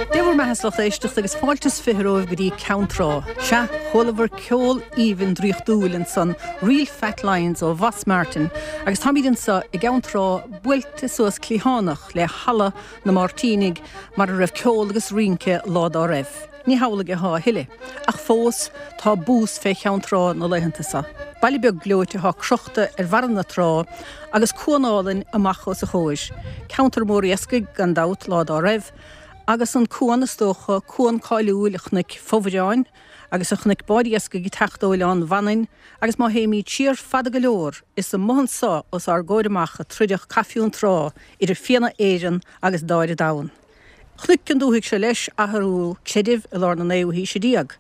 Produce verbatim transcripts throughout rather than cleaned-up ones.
Dé bhur mbeatha, a lucht éisteachta, agus fáilte is fiche romhaibh go dtí Ceann Trá. Sea, chualabhar ceol aoibhinn draíochtúil ansan, Real Fat Lines ó Mhoss Martin, agus táimid anseo i gCeann Trá buailte suas cliathánach le halla na Máirtínigh mar a raibh ceol agus rince lá dá raibh. Ní hamhlaidh atá a thuilleadh, ach fós tá bús fé Cheann Trá na laethanta seo. Baile beag gleoite atá crochta ar bharra na trá agus cuan álainn amach os a chomhair. Ceantar mór iascaigh gan dabht lá dá raibh, agus an cuan is dócha, cuan cáiliúil a chonaic fomhuireáin agus a chonaic báid iascaigh ag teacht ó Oileán Mhanainn agus má théimid siar fada go leor is amuigh anso os ár gcomhair amach a troideadh Cath Fionntrá idir Fianna Éireann agus Dáire Domhan. Chonaic an dúthaigh seo leis athrú creidimh i lár na naoú haoise déag.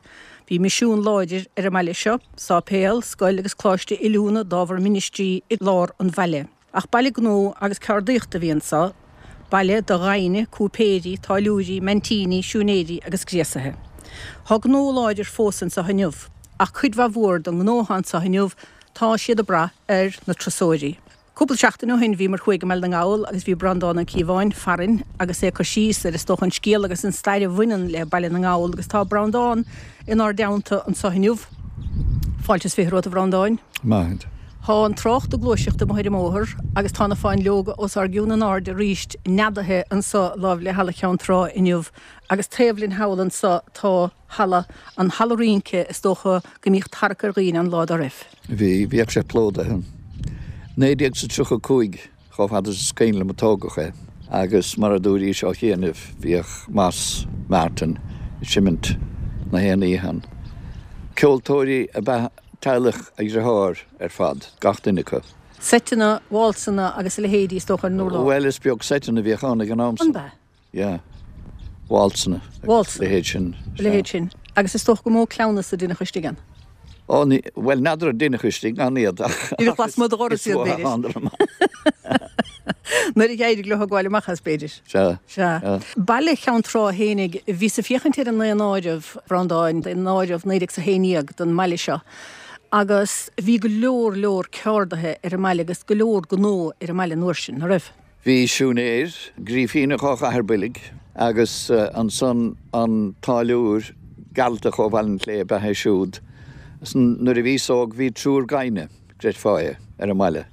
Bhí misiún láidir ar an mbaile seo, sáipéal, scoil agus coláiste oiliúna d'ábhar ministrí i lár an bhaile. Ach baile gnó agus ceardaíochta a bhí anso, baile do ghaibhne, cúipéirí, táilliúirí, maintíní, siúinéirí agus gréasaithe. Tá gnó láidir fós anso inniu, ach cuid mhaith mhór den ngnó atá anso inniu tá siad ag brath ar na turasóirí. Cúpla seachtain ó shin bhíomar thuaidh i mBaile na nGall agus bhí Breandán Ó Cíobháin farainn agus é ag cur síos ar is dócha an scéal agus an stair a bhaineann le Baile na nGall agus tá Breandán inár dteannta anso inniu. Fáilte is fiche romhat a Bhreandáin. Maith. Tá an trácht ag gluaiseacht amuigh ar an mbóthar agus tá na fáinleoga os ár gcionn in airde arís neadaithe anso láimh le Halla Cheann Trá inniu agus taobh linn thall anso tá halla, an halla rince is dócha go mbíodh tarrac ar dhaoine ann lá dá raibh. Bhí, bhíodh sé plódaithe. Naoi déag is a tríocha a cúig, chomh fada is is cuimhin liom a tógadh é, agus mar a dúraís ó chianaibh, bhíodh Moss Martin ag seimint na haon oíche ann. Ceoltóirí ab ea teaghlach a dhriotháir ar fad, gach duine acu. Seiteanna, válsanna agus a leithéidí is dócha ar an urlár. Bhuel, is beag seiteanna a bhíodh ann ag an am san. An b'ea? Yeah. Válsanna. Válsanna. Leithéid sin. A leithéid sin. Agus is dócha gur mó cleamhnas a deineadh istigh ann. Ó, ní, bhuel, n'fheadar an deineadh istigh ann iad ach. Deineadh lasmuigh de dhoras iad, b'fhéidir. Nuair a d'éirigh leo a ghabháil amach as, b'fhéidir. Sea. Sea. Baile Cheann Trá fhéinig, bhíos ag féachaint ar an ndaonáireamh, a Bhreandáin, daonáireamh naoi déag 's a haon déag don mbaile seo agus bhí go leor leor ceardaithe ar an mbaile agus go leor gnó ar an mbaile an uair sin, ná raibh? Bhí siúinéir, Grífíneach ó Chathair Boilg, agus ansan an táilliúir, Gearaltach ó Bhaile an tSléibhe ab ea é siúd. Nuair a bhíos óg bhí triúr gaibhne, creidfeá é, ar an mbaile.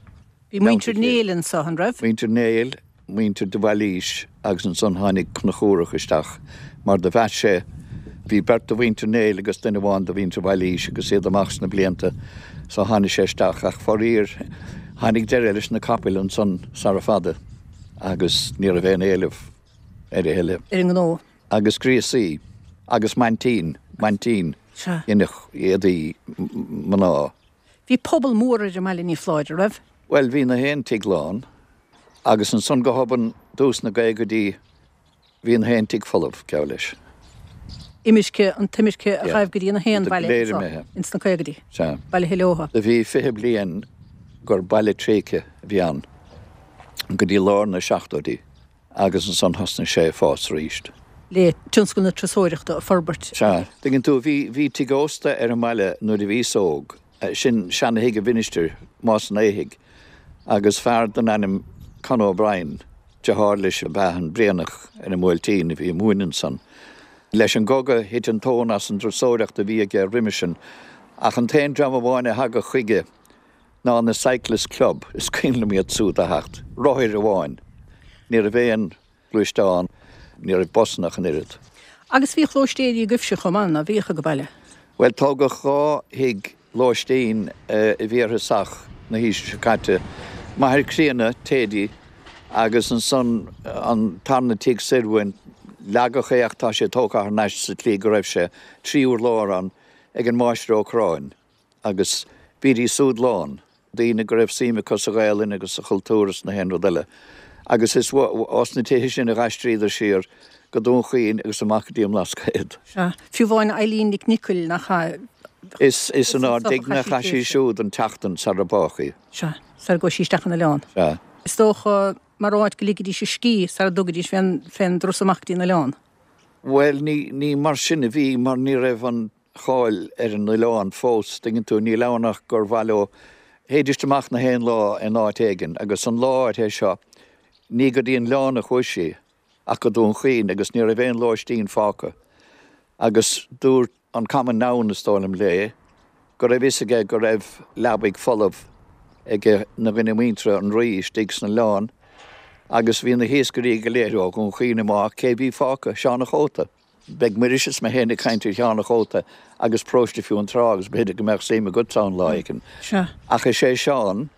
Bhí muintir Néill anso, an raibh? Muintir Néill, muintir de Bhailís agus ansan tháinig Conchúrach isteach mar do mheas sé, bhí beirt de mhuintir Néill agus duine amháin de mhuintir Bhailís agus iad amach sna blianta so tháinig sé isteach ach faraor tháinig deireadh leis na capaill ansan sara fada agus ní raibh aon éileamh air a thuilleadh. Ar an ngnó. Agus gríosaí agus maintín, maintín, Sea. dhéanadh éadaí mná. Bhí pobal mór ar an mbaile ní foláir, an raibh? Bhuel bhí na haon tigh lán agus ansan go hobann dtús na gcaogaidí bhí na haon tigh folamh, geall leis. Imirce, an t-imirce a ghaibh go dtí na haon bhaile anseo ins na caogaidí. Sea. Bailithe leotha. Do bhí fiche bliain gur baile tréigthe a bhí ann go dtí lár na seachtóidí agus ansan thosnaigh sé ag fás arís. Le tionscal na turasóireachta a forbairt. Sea. Tuigeann tú, bhí, bhí tigh ósta ar an mbaile nuair a bhíos óg, sin seana-thigh an mhinistir, Más an Éithigh, agus fear den ainm Con O'Brien, deartháir leis ab ea an Brianach ar an mBuailtín a bhí ag múineadh ansan. Leis an gcogadh thit an tóin as an dturasóireacht a bhí aige roimhe sin, ach an t-aon dream amháin a thagadh chuige ná na Cyclist Club, is cuimhin liom iad súd a theacht, rothair amháin. Ní raibh aon ghluaisteán, ní raibh busanna ach an oiread. Agus bhíodh lóistéirí agaibhse chomh maith, ná bhíodh ag an baile? Bhuel, tógadh dhá thigh lóistín i bhfíorthosach na haoise seo caite, Machaire Críona, Thady, agus ansan an tarna tigh soir uainn, leagadh é ach tá sé tógtha thar n-ais sa tslí go raibh sé, trí urlár ann, ag an Máistir Ó Corráin agus bhídís súd lán, daoine go raibh suim acu sa Ghaelainn agus sa chultúr is na haon rud eile. Agus is as na tithe sin a d'aistríodar siar go Dún Chaoin agus amach go dtí an mBlascaod. Sea. Fiú amháin Eileen Nic Niocaill nach ea? Is is inár dtigh-ne a chaith sí siúd an tseachtain sara bádh í. Sea, sara gcuaigh sí isteach an oileán. Sea. Is dócha mar áit go ligidís a scíth sara dtugaidís fén fén dturas amach go dtí an oileán. Bhuel, ní ní mar sin a bhí mar ní raibh an cháil ar an oileán fós, tuigeann tú, níl ann ach gur mhaith leo, théidís amach na haon lá in áit éigin agus an lá áirithe seo, ní go dtí an oileán a chuaigh sí ach go Dún Chaoin agus ní raibh aon lóistín fágtha agus dúirt an common noun is dóigh liom léi go raibh fhios aige go raibh leabaidh folamh ag na dhuine muinteartha an Rí istigh san oileán agus bhí na hiascairí go léir ó Dhún Chaoin amach cé bhí fágtha? Seán a' Chóta. Beidh Muiris is mé féin ag caint ar Sheán a' Chóta agus Paróiste Fionntrá agus b'fhéidir go mbeadh suim agatsa ann lá éigin. Sea. Ach is é Seán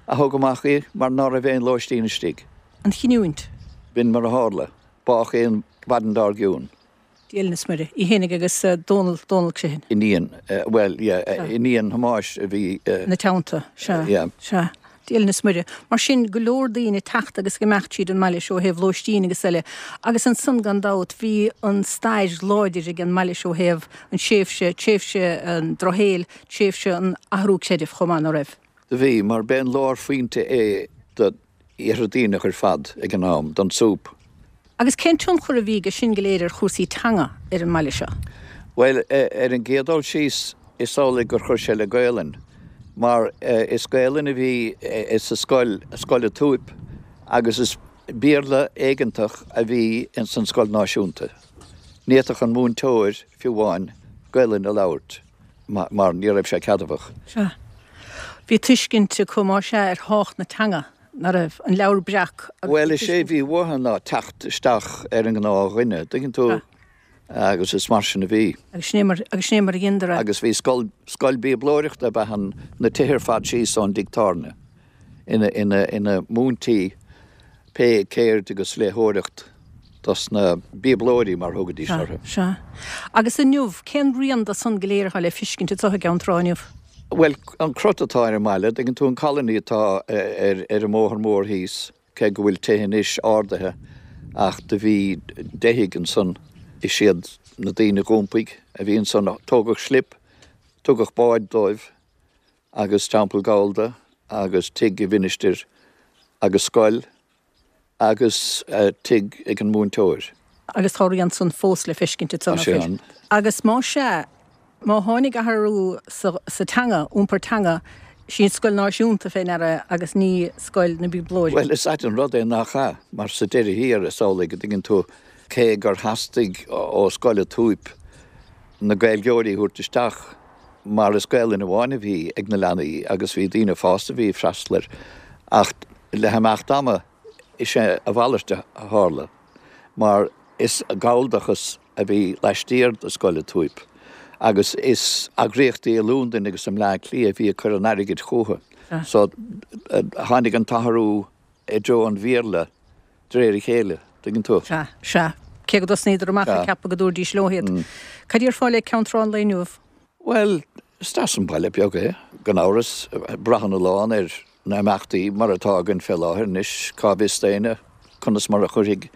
a thug amach í mar ná raibh aon lóistín istigh. An chinniúint. B'in mar a tharla. Bádh í an mhaidin dár gcionn. Dia linn is Muire. Í fhéinig agus Dónal, Dónal Criomhthain. Iníon, bhuel, yeah, iníon Thomáis a bhí. Ina teannta, sea. Yeah. Sea. Dia linn is Muire. Mar sin, go leor daoine ag teacht agus ag imeacht tríd an mbaile seo ó thaobh lóistín agus eile. Agus ansan gan dabht bhí an stair láidir ag an mbaile seo ó thaobh an tréimhse, tréimhse an drochshaoil, tréimhse an athrú creidimh chomh maith, ná raibh? Do bhí, mar b'é an lárphointe é do Iarthar Duibhneach ar fad ag an am, don súp. Agus cén tionchar a bhí aige sin go léir ar chúrsaí teanga ar an mbaile seo? Bhuel, ar an gcéad dul síos, is amhlaidh gur chuir sé le Gaolainn, mar is Gaolainn a bhí sa scoil, Scoil a' tSúip, agus is Béarla éigeantach a bhí ins an scoil náisiúnta. Ní fhéadfadh an múinteoir, fiú amháin, Gaolainn a labhairt mar ní raibh sé ceadmhach. Sea. Bhí tuiscint acu, más ea, ar thábhacht na teanga. Ná raibh an Leabhar Breac agus Bhuel, is é a bhí uathu ná teacht isteach ar an ngnáthdhuine, dtuigeann tú, agus is mar sin a bhí. Agus sin é mar, agus sin é mar a dheineadar é. Agus bhí scoil, scoil bíoblóireachta ab ea an, na tithe ar fad síos ón dtigh tábhairne, ina, ina, ina múintí pé ceird agus léitheoireacht dos na bíoblóirí, mar thugaidís Sea, orthu. sea. Agus inniu, cén rian de san go léir atá le fiscint anseo i gCeann Trá inniu? Bhuel, an crot atá ar an mbaile, dtuigeann tú, an colony atá ar ar an mbóthar mór thíos, cé go bhfuil tithe anois ardaithe ach do bhí deich dtigh ansan, is iad na daoine a dh'iompaigh a bhí ansan, tógadh slip, tugadh báid dóibh agus teampall Gallda agus tigh i Mhinistir agus scoil. agus tigh ag an múinteoir. Agus tá a rian san fós le feiscint Tá anseo, sé nach bhfuil? ann. Agus más ea, má tháinig athrú sa, sa teanga, iompar teanga, sí an scoil náisiúnta fé ndeara agus ní scoil na bíoblóirí. Bhuel, is ait an rud é nach ea, mar sa deireadh thiar, is amhlaidh go dtuigeann tú, cé gur theastaigh ó Scoil a' tSúip na Gaeilgeoirí a thabhairt isteach, mar is Gaelainn amháin a bhí ag na leanaí agus bhí daoine fásta a bhí ag freastal air, ach le himeacht ama, Is é a mhalairt a tharla, mar is Galldachas a bhí laistiar de Scoil a' tSúip, agus is eagraíochtaí i Londain agus i mBleá Cliath a bhí ag cur an airgid chucu. So tháinig an t-athrú i dtreo an Bhéarla de réir a chéile, tuigeann tú. Sea, sea. Cé go dtosnaíodar amach ag ceapadh go dtabharfaidís leo iad. Cad déarfá le Ceann Trá an lae inniu? Bhuel, is deas an baile beag é, gan amhras. Braitheann a lán ar na himeachtaí mar atá againn fé láthair anois, cá bhfios d'éinne conas mar a chuirfidh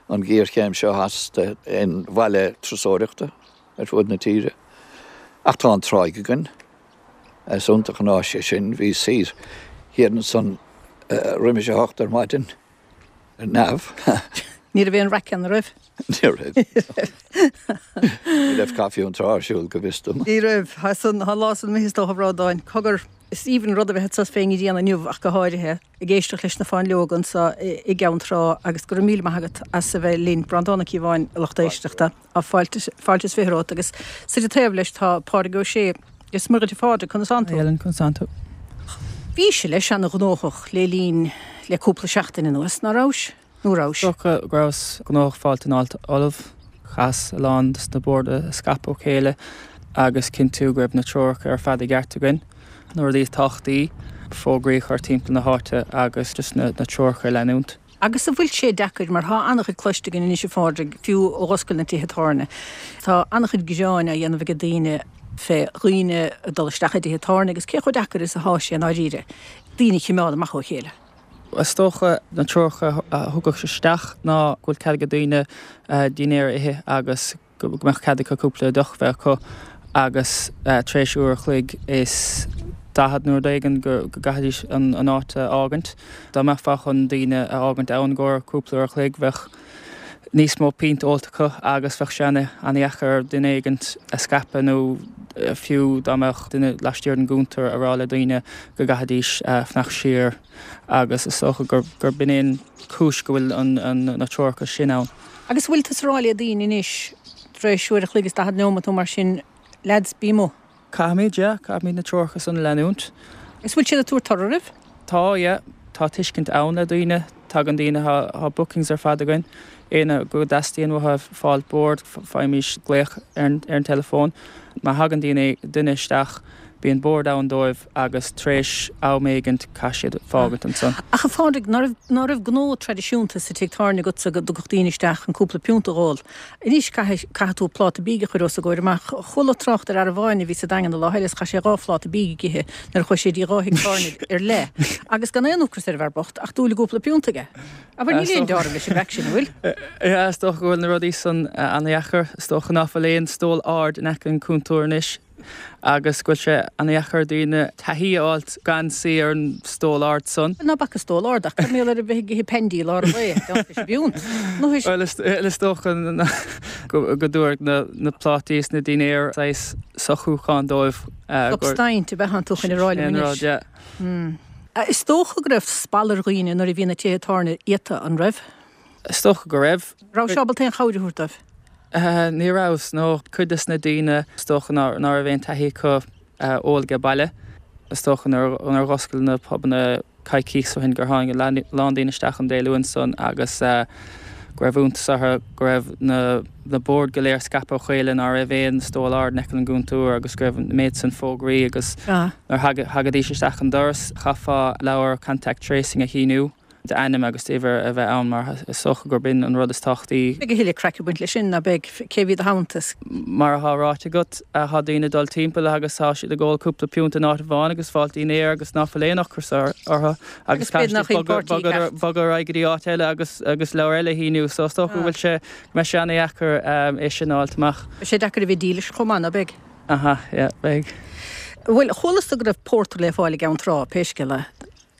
an ghéarchéim seo as d'aon bhaile turasóireachta ar fud na tíre. Ach tá an tráigh againn. Is iontach an áis é sin. Bhíos thiar thiar ansan roimis a hocht ar maidin. Ar neamh. Ní raibh aon raic ann, an raibh? Ní raibh. Ní raibh Caife Fhionntrá ar siúl, go bhfios dom. Ní raibh. Tá san, tá an lá san imithe is dócha, a Bhreandáin. Cogar, is aoibhinn an rud a bheith anseo fén ngrian inniu ach go háirithe, ag éisteacht leis na fáinleoga anseo i gCeann Trá agus go raibh míle maith agat as a bheith linn. Breandán Ó Cíobháin, a lucht éisteachta. Tá fáilte, fáilte is fiche romhat agus suite taobh leis tá Pádraig Ó Sé. Is Muire duit a Phádraig, conas tánn tú? Hi Ellen, conas tánn tú? Bhís leis ana-ghnóthach le linn le cúpla seachtain anuas, ná rabhais? Nó rabhais? Is dócha go rabhas gnóthach fáilte an áit ullamh. Chaitheas a lán dos na boird a scaipeadh ó chéile agus cinntiú go raibh na treoracha ar fad i gceart againn. Na rudaí is tábhachtaí, fógraí a chur timpeall na háite agus just na treoracha a leanúint. Agus an bhfuil sé deacair, mar tá an-chuid cloiste againn anois a Phádraig, fiú ó dh'oscail na tithe tábhairne, tá an-chuid gearáin á dhéanamh ag daoine fé dhaoine ag dul isteach i dtithe tábhairne agus cé chomh deacair is atá sé i ndáiríre daoine a choimeád amach ó chéile. Is dócha na treoracha a thugadh isteach ná go bhfuil cead ag daoine dinnéar a ithe agus go mbeadh cead acu cúpla deoch bheith acu agus tar éis uair a chloig is daichead nó rud éigin go gcaithfidís an áit a fhágaint. Dá mbeifeá chun daoine a fhágaint ann i gcomhair cúpla uair a chloig bheadh níos mó pínt ólta acu agus bheadh sé an-dheacair ar duine éigint a scaipeadh nó fiú dá mbeadh duine laistiar den gcuntar a rá le daoine go gcaithfidís fanacht siar agus is dócha gur b'in é an cúis go bhfuil na treoracha sin ann. Agus bhfuil tusa ag rá le daoine anois tar éis uair a chloig is daichead nóiméad nó mar sin, lads, bí amuigh? Caithfimid, yeah, caithfimid na treoracha san a leanúint. Agus bhfuil siad ag tabhairt toradh oraibh? Tá, yeah. Tá tuiscint ann le daoine. Tagann daoine, tá bookings ar fad againn. Éinne go dteastaíonn uathu fáil bord, faighimís glaoch ar an teileafón. Má thagann daoine, duine isteach, bíonn bord ann dóibh agus tar éis am éigint caithfidh siad fágaint ansan. Ach a Phádraig, ná raibh, ná raibh gnó traidisiúnta sa tigh tábhairne agatsa go dtagadh daoine isteach chun cúpla piúnta a dh'ól. Anois caithfidh, caithfidh tú pláta bídh a chur os a gcomhair amach. Chuala trácht ar fhear amháin a bhí sa Daingean an lá eile is chaith sé dhá phláta bídh ag ithe nuair a chuaigh sé dtí dhá thigh tábhairne ar leith agus gan aon ocras ar an bhfear bocht ach dúil i gcúpla piúnta aige. Abair níl aon dealramh leis an gcraic sin, an bhfuil? Yeah, is dócha go bhfuil na rudaí san an-dheacair. Is dócha ná fuil aon stól ard in aice an cúntóir anois agus go bhfuil sé an-dheacair daoine taithí a fháilt gan suí ar an stól ard san. Ná bac an stól ard ach cad mar gheall ar a bheith ag ithe pandy i lár an lae, gan fios a bpiúnt. Nó is. Bhuel, is dócha go dtabharfaidh na plátaí is na dinnéir saghas socrúchán dóibh. Substaint a bheith iontu chun a rá liom anois. Sin rud, yeah. Is dócha go raibh spalpadh ar dhaoine nuair a bhí na tithe tábhairne iata, an raibh? Is dócha go raibh. Raibh sé ábalta aon chabhair a thabhairt dóibh? Ní raibh, no. Cuid des na daoine, is dócha ná raibh aon taithí acu ól age baile. Is dócha nuair a dh'oscail na pubanna coicíos ó shin gur tháinig a lán daoine isteach an Dé Luain san agus go raibh iontas orthu go raibh na na boird go léir scaipthe ó chéile, ná raibh aon stól ard in aice an gcúntúir agus go raibh an méid san fógraí agus nuair a thagaidís isteach an doras chaithfeá leabhar contact tracing a shíniú. D'ainm agus d'uimhir a bheith ann mar is dócha gurb in an rud is tábhachtaí. Beidh a thuilleadh craic ag baint leis sin, ná beidh? Cé a bhí i do theannta? Mar atá ráite agat, tá daoine ag dul timpeall agus tá siad ag ól cúpla piúnt in áit amháin agus fáil dinnéar agus ná fuil aon ocras orthu agus caithfidh siad bogadh ar aghaidh go dtí áit eile agus agus leabhar eile a shíniú. So is dócha go bhfuil sé, go mbeidh sé ana-dheacair é sin a fháilt amach. Beidh sé deacair a bheith dílis chomh maith, ná beidh? Aha, yeah, beidh. Bhuel, chualas-sa go raibh pórtar le fáil i gCeann Trá, pé scéal é.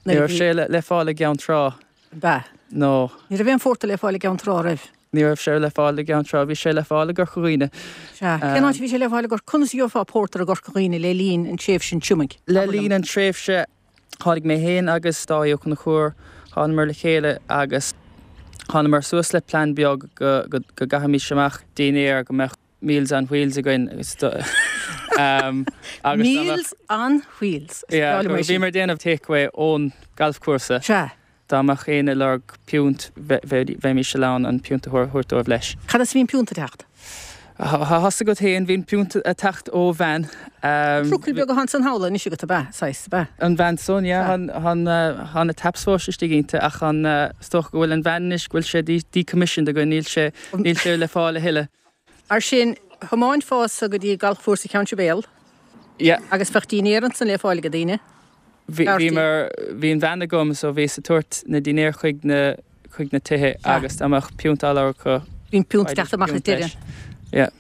Ní raibh sé le fáil i gCeann Trá. Ab ea? No. Ní raibh aon phórtar le fáil i gCeann Trá, raibh? Ní raibh sé le fáil i gCeann Trá. Bhí sé le fáil i gCorca Dhuibhne. Sea. Cén áit a bhí sé le fáil i gCorca? Conas a gheofá pórtar i gCorca Dhuibhne le linn an tréimhse an triomaigh? Le linn an tréimhse, tháinig mé féin agus Dáithí Ó Conchúir, thánamar le chéile agus thánamar suas le plean beag go go gcaithfimis amach dinnéar go mbeadh Meals on Wheels againn agus agus Meals on Wheels. Is breá liom é sin. Bhíomar ag déanamh takeaway ón galfchúrsa. Sea. Dá mbeadh éinne ag lorg piúnt bheimis in ann an piúnt a thabhairt dóibh leis. Cad as a bhí an piúnt ag teacht? Tá fhios agat féin, bhí an piúnt ag teacht ó veain. Trucail beag atá ansan thall anois agat ab ea? Saghas, ab ea? An veain san, yeah. Tá na taps fós istigh inti ach an, is dócha go bhfuil an veain anois, go bhfuil sé decommissioned againn, níl sé, níl sé le fáil a thuilleadh. Ar sin, thiomáinfeása go dtí galfchúrsa Cheann Sibéal. Yeah. Agus bheadh dinnéar ansan le fáil ag daoine. Bhí, bhí mar, bhí an veain agam so bhíos ag tabhairt na dinnéir chuig na, chuig na tithe agus dá mbeadh piúnt á lorg acu. Bhí an piúnt ag teacht amach ag deireadh. Yeah.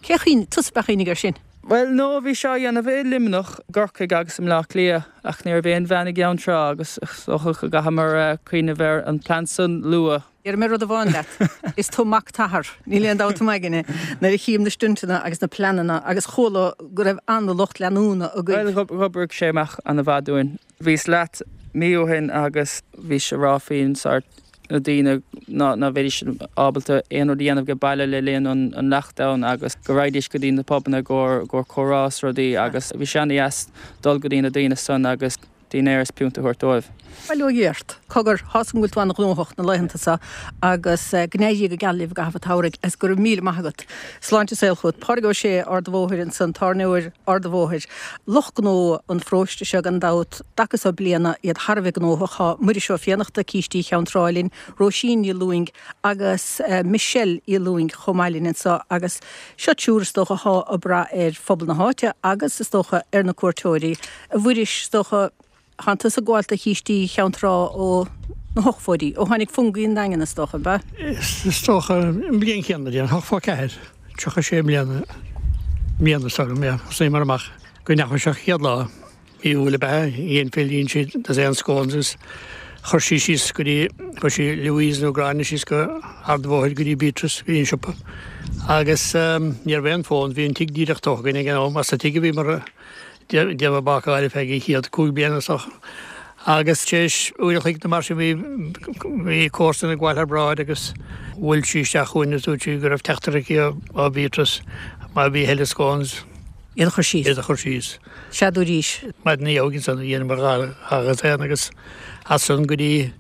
Cé a chuimhnigh, tusa ab ea a chuimhnigh air sin? Bhuel, no, bhí seo á dhéanamh i Luimneach, gCorcaigh agus i mBleá Cliath ach ní raibh aon veain i gCeann Trá agus is dócha go gcaitheamar cuimhneamh ar an plean san luath. Déarfaidh mé rud amháin leat, is tú mac t'athar, níl aon dabht i m'aigne, nuair a chím na stuntanna agus na pleananna agus chuala go raibh an-lucht leanúna agaibh. Bhuel, dh'oibrigh sé amach ana-mhaith dúinn. Bhíos leat mí ó shin agus bhís ag rá faoin sórt na daoine ná ná bheidís ábalta aon rud a dhéanamh age baile le linn an an lockdown agus go raghaidís go dtí na pubanna i gcomhair i gcomhair comhrá is rudaí agus bhí sé ana-dheas dul go dtí na daoine san agus dinnéar is piúnta a thabhairt dóibh. Bail ó Dhia ort. Cogar, tá's agam go bhfuil tú an-ghnóthach na laethanta seo agus go n-éirí go geal libh i gcaitheamh an tsamhraidh agus go raibh míle maith agat. Sláinte is saol chugat. Pádraig Ó Sé, Ard an Bhóthair ansan, tábhairneoir Ard an Bhóthair. Lucht gnó an pharóiste seo gan dabht, dtaca seo bliana, iad thar a bheith gnóthach. Tá Muiris Ó Fiannachta, Cístí Cheann Trá linn, Róisín Ní Lúing agus Michelle Uí Lúing chomh maith linn anseo agus seo triúr is dócha atá ag brath ar phobal na háite agus is dócha ar na cuairteoirí. A Mhuiris, is dócha, tánn tusa ag gabháil do Chístí Cheann Trá ó na hochtóidí, ó tháinig Fungie an Daingean is dócha, ab ea? Is dócha an bhliain chéanna, déarfainn, ochtó ceathair, tríocha sé mbliana, mbliana is dócha, yeah, thosaíomar amach go ndeachaigh seo chéad lá, mí Iúil ab ea, dhein Phil, dhein siad dosaen scones agus chuir sí síos go dtí, chuir sí Louise nó Gráinne síos go Ard an Bhóthair go dtí Beatrice, go dtí an siopa. Agus ní raibh aon fón, bhí an tigh díreach tógtha againn ag an am, as sa tigh a bhíomar ag déanamh bácáil ar feadh an chéad cúig bliana is dócha. Agus tar éis uair a chloig nó mar sin bhí bhí comharsan ag gabháil thar bráid agus bhuail sí isteach chugainn agus dúirt sí go raibh teachtaireacht aici ó Beatrice má bhí a thuilleadh scones. Iad a chur síos. Iad a chur síos. Sea dúraís. Maidin ina dhiaidh ansan dheineamar dhá dhá dhosaen agus as san go dtí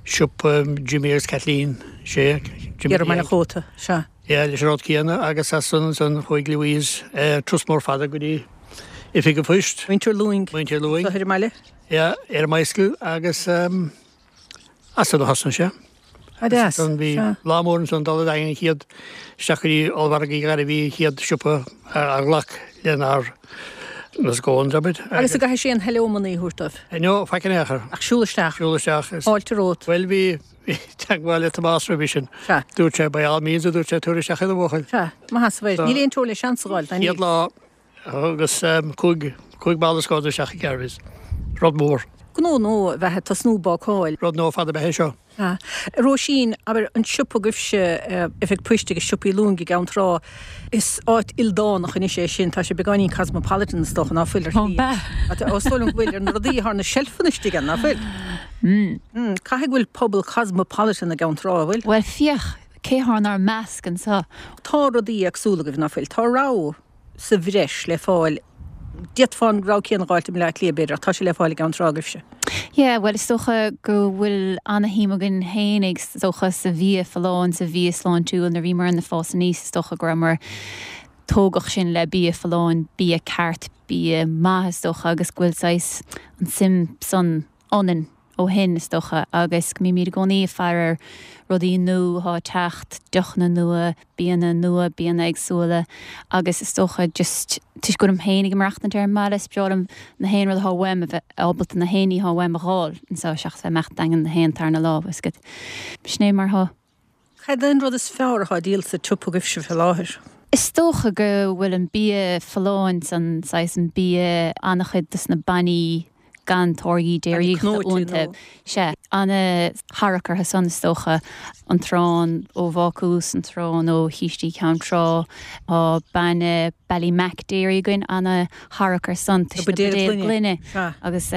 siopa Jimmy agus Kathleen, sé, Jimmy Thiar i mBaile an Chóta, sea. Yeah, leis an rud céanna agus as san ansan chuaigh Louise turas mór fada go dtí Oifig an Phoist. Muintir Lúing. Muintir Lúing. Ar an mbaile? Yeah, ar an mbicycle agus as san a thosnaigh sé. Ah deas. Ansan bhí lá mór ansan dul ar aghaidh an chéad isteach go dtí Ollmhargadh Uí Ghairbhí an chéad siopa a ghlac lenár na scones, abair. Agus an gcaithfidh sé an hello money a thabhairt dóibh? No, faic in aon chor. Ach siúl isteach. Siúl isteach. Fáilte romhat. Bhuel bhí teagmháil le Tomás roimhe sin. Sea. Dúirt sé by all means a dúirt sé tabhair isteach iad a bhuachaill. Sea, maith as a bheith. Níl aon teorainn le seans a fháil, tá Chéad lá agus cúig cúig mála scones isteach i Garvey's. Rud mór. Gnó nua a bheith ag tosnú bácáil. Rud nua fada ab ea é seo. Sea. Róisín, abair, an siopa agaibhse, Oifig Poist agus Siopaí Lúing i gCeann Trá, is áit ildánach anois é sin, tá sé beagáinín cosmopolitan is dócha, ná fuil ar shlí? Ó, b'ea. Ó, is dóigh liom go bhfuil ar na rudaí atá ar na seilfeanna istigh ann, ná fuil? Mm. Caithfidh go bhfuil pobal cosmopolitan i gCeann Trá, an bhfuil? Bhuel, féach, cé thá inár measc anseo? Tá rudaí éagsúla agaibh, ná fuil? Tá rogha sa bhreis le fáil. D'fhéadfá an rogha céanna a dh'fháilt i mBleá Cliath, b'fhéidir, ach tá sé le fáil i gCeann Trá agaibhse. Yeah, bhuel is dócha go bhfuil ana-shuim againn fhéinig is dócha sa bhia folláin, sa bhia sláintiúil nuair a bhíomar ag fás aníos is dócha go rabhamar tógadh sinn le bia folláin, bia ceart, bia maith is dócha agus go bhfuil saghas an suim san ionainn ó shin is dócha agus go mbímid i gcónaí ag faire ar rudaí nua atá ag teacht, deochanna nua, bianna nua, bianna éagsúla agus is dócha just toisc go bhfuilim féin ag maireachtaint ar an mbaile is breá liom na haon rud atá uaim a bheith ábalta na haon ní atá uaim a dh'fháil anseo seachas bheith ag imeacht daingean na haon tarna lá is go sin é mar atá. Cad é an rud is fearr atá á dhíol sa tsiopa agaibhse fé láthair? Is dócha go bhfuil an bia folláin san saghas an bia an-chuid dos na bannaí gan táirgí déiríochta iontu. Sea, ana-tharrac orthu san is dócha, an t-arán ó bhácús, an t-arán ó Chístí Cheann Trá, tá bainne Ballymac Dairy againn, ana-tharrac ar san toisc na buidéil gloine agus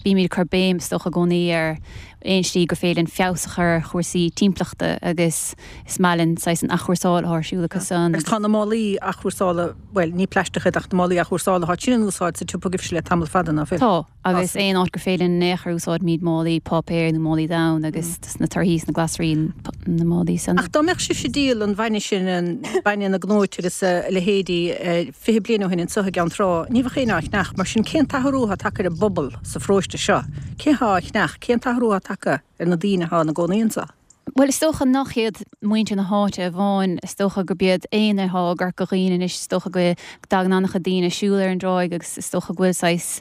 bímid ag cur béim is dócha i gcónaí ar aon slí gur féidir linn feabhas a chur ar chúrsaí timpeallachta agus is maith linn saghas an athchúrsáil atá ar siúl acu san. Agus tá na málaí athchúrsála, bhuel, ní plaisteach iad ach na málaí athchúrsála, tá sin in úsáid sa tsiopa agaibhse le tamall fada, ná fuil? Tá, agus aon áit gur féidir linn in aon chor úsáidimid málaí páipéir nó málaí donn agus na torthaí is na glasraí na málaí san. Ach dá mbeadh sibhse ag díol an bhainne sin, an bainne na gcnóite agus a leithéidí fiche bliain ó shin anseo i gCeann Trá, ní bheadh éinne á cheannach. Mar sin, cén t-athrú atá tagtha ar an bpobal sa pharóiste seo? Cé atá á cheannach? Cén t-athrú atá tagtha ar na daoine atá ina gcónaí anseo? Bhuel, is dócha nach iad muintir na háite amháin, is dócha gurb iad éinne atá i gCorca Dhuibhne anois, is dócha go dtagann an-chuid daoine ag siúl ar an dtráigh agus is dócha go bhfuil saghas,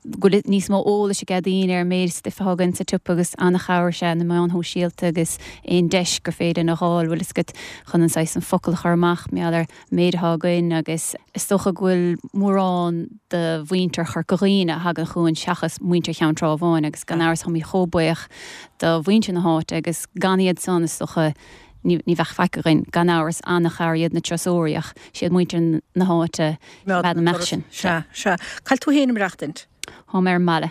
go bhfuil níos mó eolais ag daoine ar an méid stuif atá againn sa tsiopa agus an-chabhair is ea na meáin shóisialta agus aon deis gur féidir linn a dh'fháil, bhfuil fhios agat, chun an saghas an focal a chur amach mar gheall ar an méid atá againn agus is dócha go bhfuil mórán de mhuintir Chorca Dhuibhne a thagann chugainn seachas muintir Cheann Trá amháin agus gan amhras táimid chomh buíoch do mhuintir na háite agus gan iad san is dócha ní bheadh faic againn. Gan amhras an-chabhair iad na turasóirí ach siad muintir na háite a bheadh na meath sin. Sea, sea. Cá bhfuil tú féin ag maireachtaint? Táim ar an mbaile.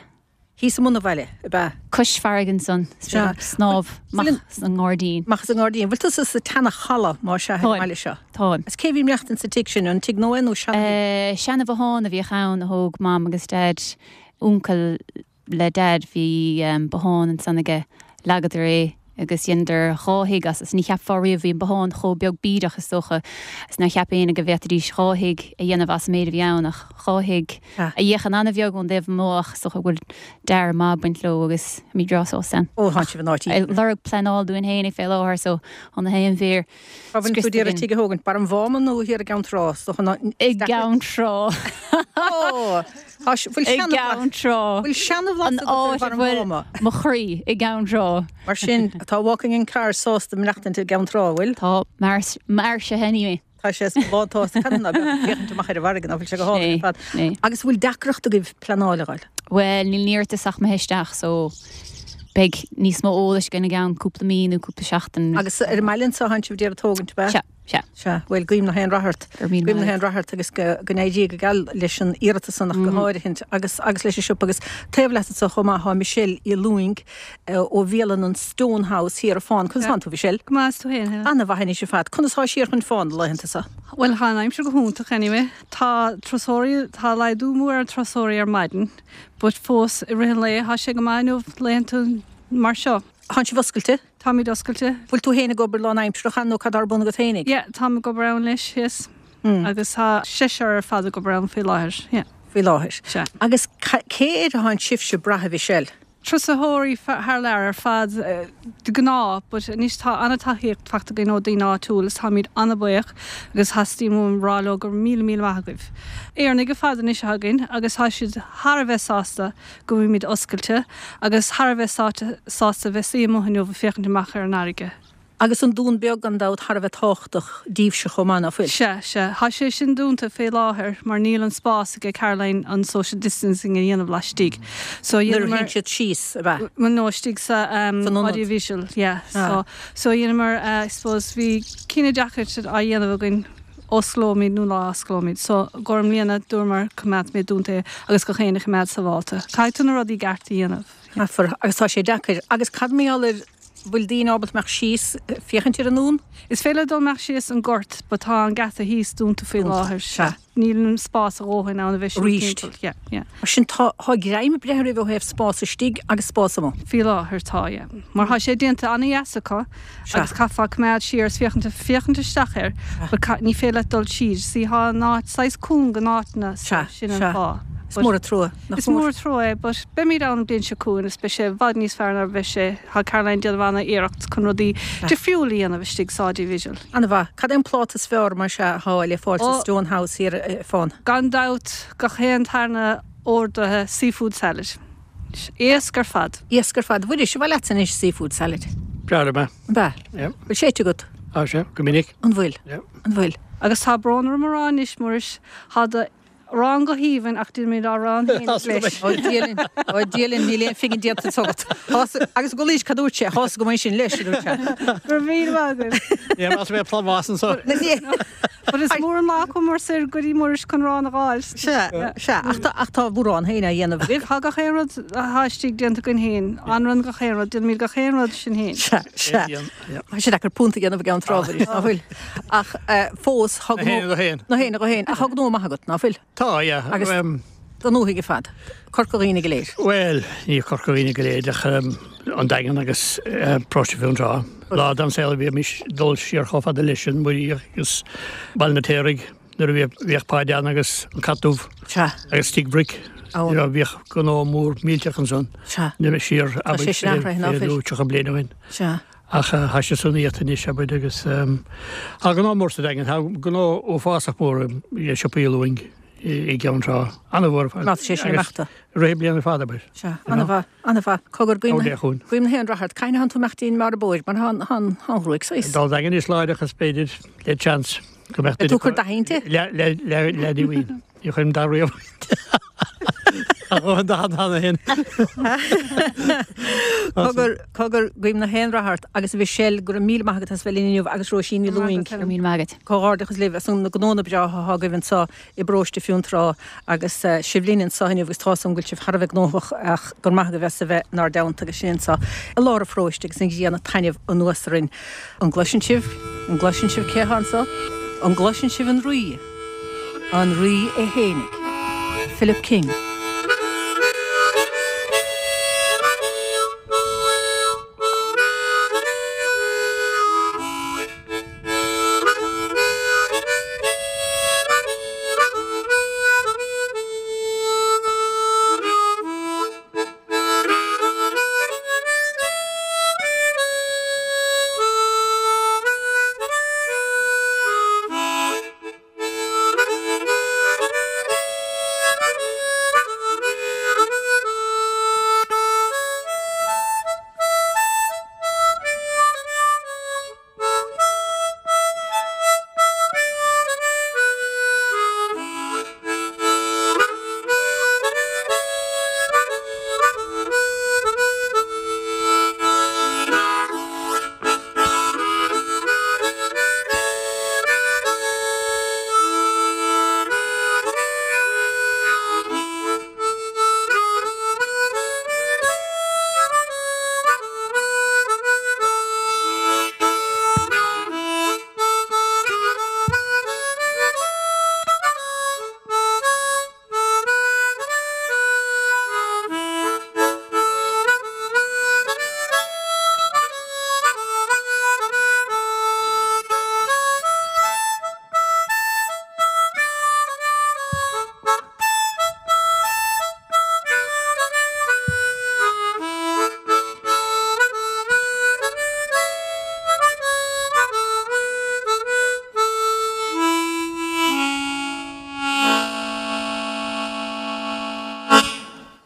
Thíos i mbun an bhaile, ab ea? Cois farraige ansan, Sea. snámh amach sa ngairdín. Amach sa ngairdín. Bhfuil tusa sa tseana-chaladh má sea ar an Táim. mbaile seo? Táim. Is cé bhí ag maireachtaint sa tigh sin, an tigh nua nó seana-thigh? Seana-bhothán a bhíodh ann a thóg Mam agus Daid, uncail le Dad bhí um, bothán ansan aige leagadar é agus dheineadar dhá thigh as is ní cheapfá riamh bhí an bothán chomh beag bídeach is dócha is nár cheap éinne go bhféadfaidís dhá thigh a dhéanamh as an méid a bhí ann ach dhá thigh Ah. a fhéachann an-bheag ón dtaobh amuigh ach is dócha go bhfuil dearadh maith ag baint leo agus mí breá sásta ann. Ó tá sibh in áit Ag lorg pleanáil dúinn féin fé láthair so an na haon bhír Bhfuil tú d'iarraidh tigh a thógaint Barr an Mháma nó thiar i gCeann Trá so i gCeann Trá bhfuil i gCeann Trá Bhfuil seanabhlas an áit a bhfuil mo chroí i gCeann Trá. Mar sin atá walking in car sásta maireachtaint i gCeann Trá bhfuil Tá mar mar se anyway. Tá sé látá amach ar an bhfarraige ná bhfuil sé go hálainn ar fad. Né. Agus bhfuil deacracht agaibh pleanáil a fháil. Well níl iarratas ach imithe isteach so beidh níos mó eolais againn i gceann cúpla mí nó cúpla seachtain. Agus ar an mbaile anseo tánn sibh d'iarraidh tógaint be? Se se Se, bhfuil guím gach aon rath ort. Gur míle Guím na maith. haon rath ort agus go go n-éirí go geal leis an iarratas san ach go háirithint agus agus leis an siopa agus taobh leat anseo chomh maith tá Michelle Uí Lúing ó bhialann an Stone House thiar ar Fán. Conas tánn tú Michelle? Go maith tú féin Helen. An-mhaith anois ar fad. Conas tá siar chun fán laethanta seo. Well tá an aimsir go hiontach anyway. Tá turasóirí tá laghdú mór ar turasóirí ar maidin, but fós i rith an lae tá sé go maith nó laethanta mar seo. Tánn sibh oscailte? Táimid oscailte. Bhfuil tú féin ag obair lánaimseartha nó cad ar bun agat féinig? Yeah, tá ag obair ann leis yes. Mm. Agus tá seisear ar fad ag obair ann faoi láthair. Yeah. Faoi láthair. Se. Agus ca- cé air atá sibhse ag brath Michelle? Turasóirí thar lear ar fad eh, de ghnáth, but anois tá an-tacaíocht faighte againn ó daoine áitiúil is táimid an-bhuíoch agus theastaigh uaim rá leo gur míle míle maith agaibh. Éireannaigh ar fad anois againn agus tá siad thar a bheith sásta go bhfuilimid oscailte agus thar a bheith sásta sásta bheith suí amuigh inniu féachaint amach ar an fharraige. Agus an dún beag gan dabht thar a bheith tábhachtach daoibhse chomh maith ná fuil. Se se Tá sé sin dúnta fé láthair mar níl an spás ag Caroline an social distancing a dhéanamh laistigh. So Nuair a théann siad síos a bheith. nó istigh sa um, San ionad. audiovisual yeah. Ah. so so dhéanamar uh, I suppose bhí cinneadh deacair á dhéanamh againn osclóimid nó ná osclóimid so gur mbliana dúramar coimeádfaimid dúnta agus gach éinne a choimeád sábháilte. Caithfidh tú na rudaí cearta a dhéanamh. Caithfear agus tá sé deacair agus cad mar gheall ar bhfuil daoine ábalta imeacht síos féachaint ar an ndún? Is féidir dul amach síos an gort, but tá an geata thíos dúnta faoi láthair. Se. Níl an spás a dhóthain ann a bheith Arís. timpeall. Yeah, yeah. Mar sin tá tá greim breithe ó thaobh spás istigh agus spás amuigh. Faoi láthair tá yeah. Mar tá sé déanta an-dheas acu Se. agus caithfear coimeád siar is féachaint féachaint isteach air, but ca- ní féidir leat dul síos, sí tá an áit saghas cúng go áitna Se, sin an se. fáth. Is mór an trua. Nach Is mór trua é, but beimid ann bliain seo chugainn is beidh sé i bhfad níos fearr ná bheith sé tá Caroline déanamh an-iarracht chun rudaí difriúil a dhéanamh istigh sa audiovisual. An-mhaith, cad é an pláta is fearr mar se há le fáil sa Ó. Stone House thiar eh, fán. Gan dabht gach aon tarna orduithe seafood salad. Éasca ar fad. Éasca ar fad bhfuil sé bhfuil leat anois seafood salad. Breá me. Ba, Yeah. bhfuil sé agat Á sé, go minic. an bhfuil Yeah. an bhfuil. Agus tá brón orm a rá anois Muiris tá do arán go haoibhinn ach déanaimid arán féin leis. Ó Dia linn ó Dia linn níl aon phingin déanta agat. Agus go leis cadúirt sé hás go sin leis dúirt sé. Gur mhí agaibh. Yeah, mas mé pláhásan so. But is mór an lá mar sir go dtí Muiris chun arán a fháil. Se se ach tá ach tá bhur arán féin á dhéanamh agaibh. Tá gach aon rud atá istigh déanta againn féin, anrann gach aon rud, déanaimid gach aon rud sin féin. Se se. Tá sé deacair punt a dhéanamh i gCeann Trá ná fuil. Ach eh, fós Na héin go héin. Na héin go héin a thug nó maith agat ná fuil. Tá, yeah. Agus- Um, Don nóthaigh fad. Corca Dhuibhne go léir. Well, ní Corca Dhuibhne go léir ach um, an Daingean agus uh, Paróiste Fionntrá. Lá dam saol bhí mis dul siar chomh fada leis sin muirí agus Baile an Fheirtéaraigh nuair a bhíodh Páideán agus an Cat Dubh Se agus Tigh Bric. Ó. Bhíodh gnó mór millteach ansan se na siar sé sin athraithe ná fuil. tríocha bliain ó shin. se. Ach tá sé san iad anois abair agus Tá gnó mór sa Daingean, tá gnó uafásach mór i siopa Uí Lúing i gCeann Trá. An-mhór. Má sé sin imeachta. Ré bliana fada ber. Se an-mhaith an-mhaith cogar Ó dé Guím gach aon rath ort Cén t-am imeachtín mar bóir mar han han han ghruaig sais. Dal Daingean is láideach is b'fhéidir le chance go mbeadh Tú chur dainte? Le le le le dí win. Ní chuim da riamh. An da hanna hin. Cogar cogar guím gach aon rath ort agus Michelle go raibh míle maith agat as bheith linn inniu agus Róisín Ní Lúing. Go míle maith agat. Comhghairdeachas libh as an na gnónna breátha atá agaibh anseo i bparóiste Fionntrá agus eh, sibh linn anseo inniu agus tá an bhfuil sibh thar a bheith gnóthach ach gur maith a bheith a bheith nár dteannta agus sin anseo i lár an pharóiste agus an ghrian ag taitneamh anuas orainn. An gcloiseann sibh, an gcloiseann sibh cé atá anseo, an gcloiseann sibh an rí, an rí é fhéinig. Philip King.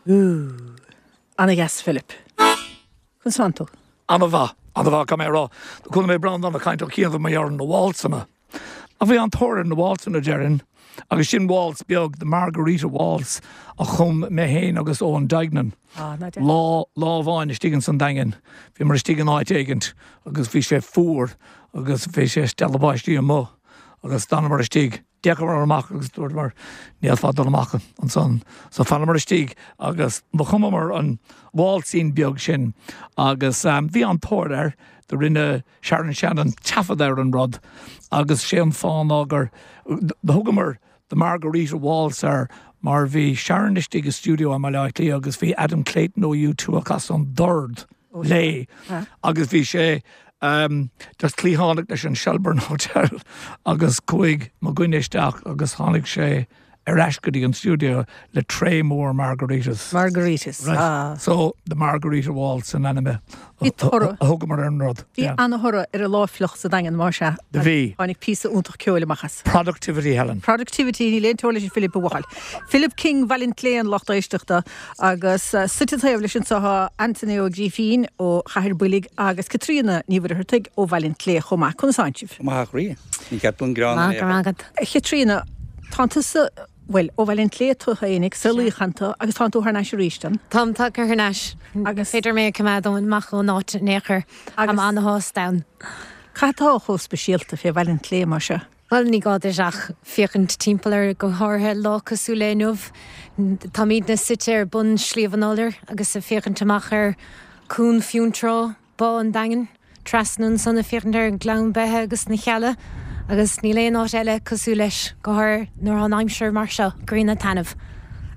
Ooh. Ana-dheas Philip. Conas tánn tú? An-mhaith, an-mhaith caithfidh mé a rá. Do chuala mé Breandán ag caint ó chianaibh mar gheall ar na waltsanna. Ach bhí an-tóir ar na waltsanna déarfainn, agus sin waltz beag, the Margarita Waltz, a chum mé féin agus Eoin Duignan. Ah, ná Lá lá amháin istigh ins an Daingean. Bhíomar istigh in áit éigint agus bhí sé fuar agus bhí sé stealladh báistí amuigh agus d'fhanamar istigh. D'fhéachamar amach agus dúramar ní fhéadfá dul amach ansan. So d'fhanamar istigh agus do chumamar an waltzín beag sin agus um, bhí an-tóir air do rinne Sharon Shannon taifead ar an rud agus sé an fáth ná gur do thugamar the Margarita Waltz air mar bhí Sharon istigh i studio i mBaile Átha Cliath agus bhí Adam Clayton ó U two ag casadh an dord léi agus bhí sé um, just cliathánach leis an Shelbourne Hotel agus chuaigh mo dhuine isteach agus tháinig sé ar ais go dtí an studio le tray mór margaritas. Margaritas. Right. Ah. So the Margarita Waltz an ainm Bhí toradh. a thugamar ar an rud. Bhí Yeah. an-thoradh ar an láfluch sa Daingean mar sea. Do bhí. Tháinig píosa iontach ceoil amach as. Productivity Helen. Productivity níl aon teora leis Philip a bhuachaill. Philip King Bhaile an tSléan lucht éisteachta agus uh, suite taobh leis anseo tá Anthony Ó Grífín ó Chathair Builg agus Caitríona Ní Mhuircheartaigh ó Bhaile an tSléa chomh maith conas tánn sibh. Maith rí. Ní ceap an grán. Maith go raibh agat. Chaitríona tá tusa well ó Bhaile an tSléa tú féinig sa Luíchanta agus tá tú thar n-ais arís an. Táim tagtha thar n-ais. Agus- Féidir mé coimeád amach ón áit in aon chor Agus- Am an-shásta ann. Cad tá chomh speisialta fé Bhaile an tSléa mar seo. Well ní gá duit ach féachaint timpeall ar go háirithe lá cosúil le inniu. Táimidne suite ar bun Sliabh an Iolair agus ag féachaint amach ar Cuan Fionntrá Bá an Daingin, trasna ansan ag féachaint ar Ghleann Beithe agus na Cealla, agus níl aon áit eile cosúil leis go háirithe nuair an aimsir mar seo grian taitneamh.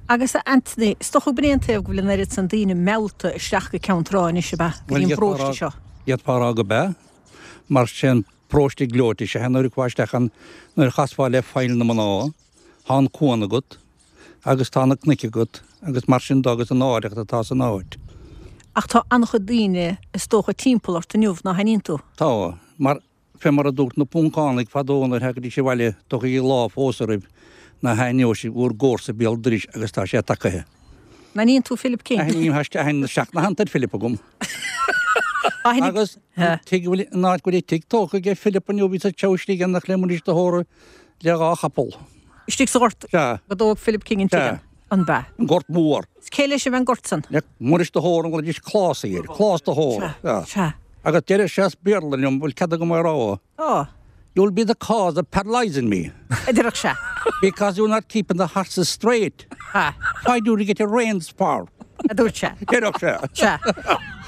Agus a Anthony, stochu bréon taobh go bhfuil an oiread san daoine meallta isteach go Ceann Trá anois ab ea go dtí an bparóiste seo. D'fhéadfá rá gurb ea, mar sin paróiste gleoite sé nuair chuaigh nuair chasfá le Faill na Mná, tá an cuan agat, agus tá na cnoic agat, agus mar sin agus an áireacht atá san áit. Ach tá an-chuid daoine is dócha timpeall ort inniu nach aithníonn tú. Tá, mar fé mar a dúirt na Poncánaigh fadó nuair thagaidís abhaile tugaigí lá fós oraibh ná haithneoidh sibh bhur gcomharsa béal dorais agus tá sé tagaithe. Aithníonn tú Philip King. Aithním aithne seacht na ar Philip agam. Aithní- Agus tig bhfuil an áit go bhfuil tig tógtha ag Philip inniu bhí sa teistigh an nach le Muiris de hÓra le dhá chapall. Istigh sa ghort Sea. go dtóg Philip King an Sea. tigh an ba. An gort mór. Is cé leis a bheith an gort san. Le Muiris de hÓra an bhfuil clás air, clás de hÓra. Sea, sea. Agus deir sé as Béarla liom bhfuil cead agam é a rá. Ó, You'll be the cause of paralyzing me a deir sé. because you're not keeping the horses straight. Ha, Why do you get your reins for? a dúirt sé. Deir sé. Sea.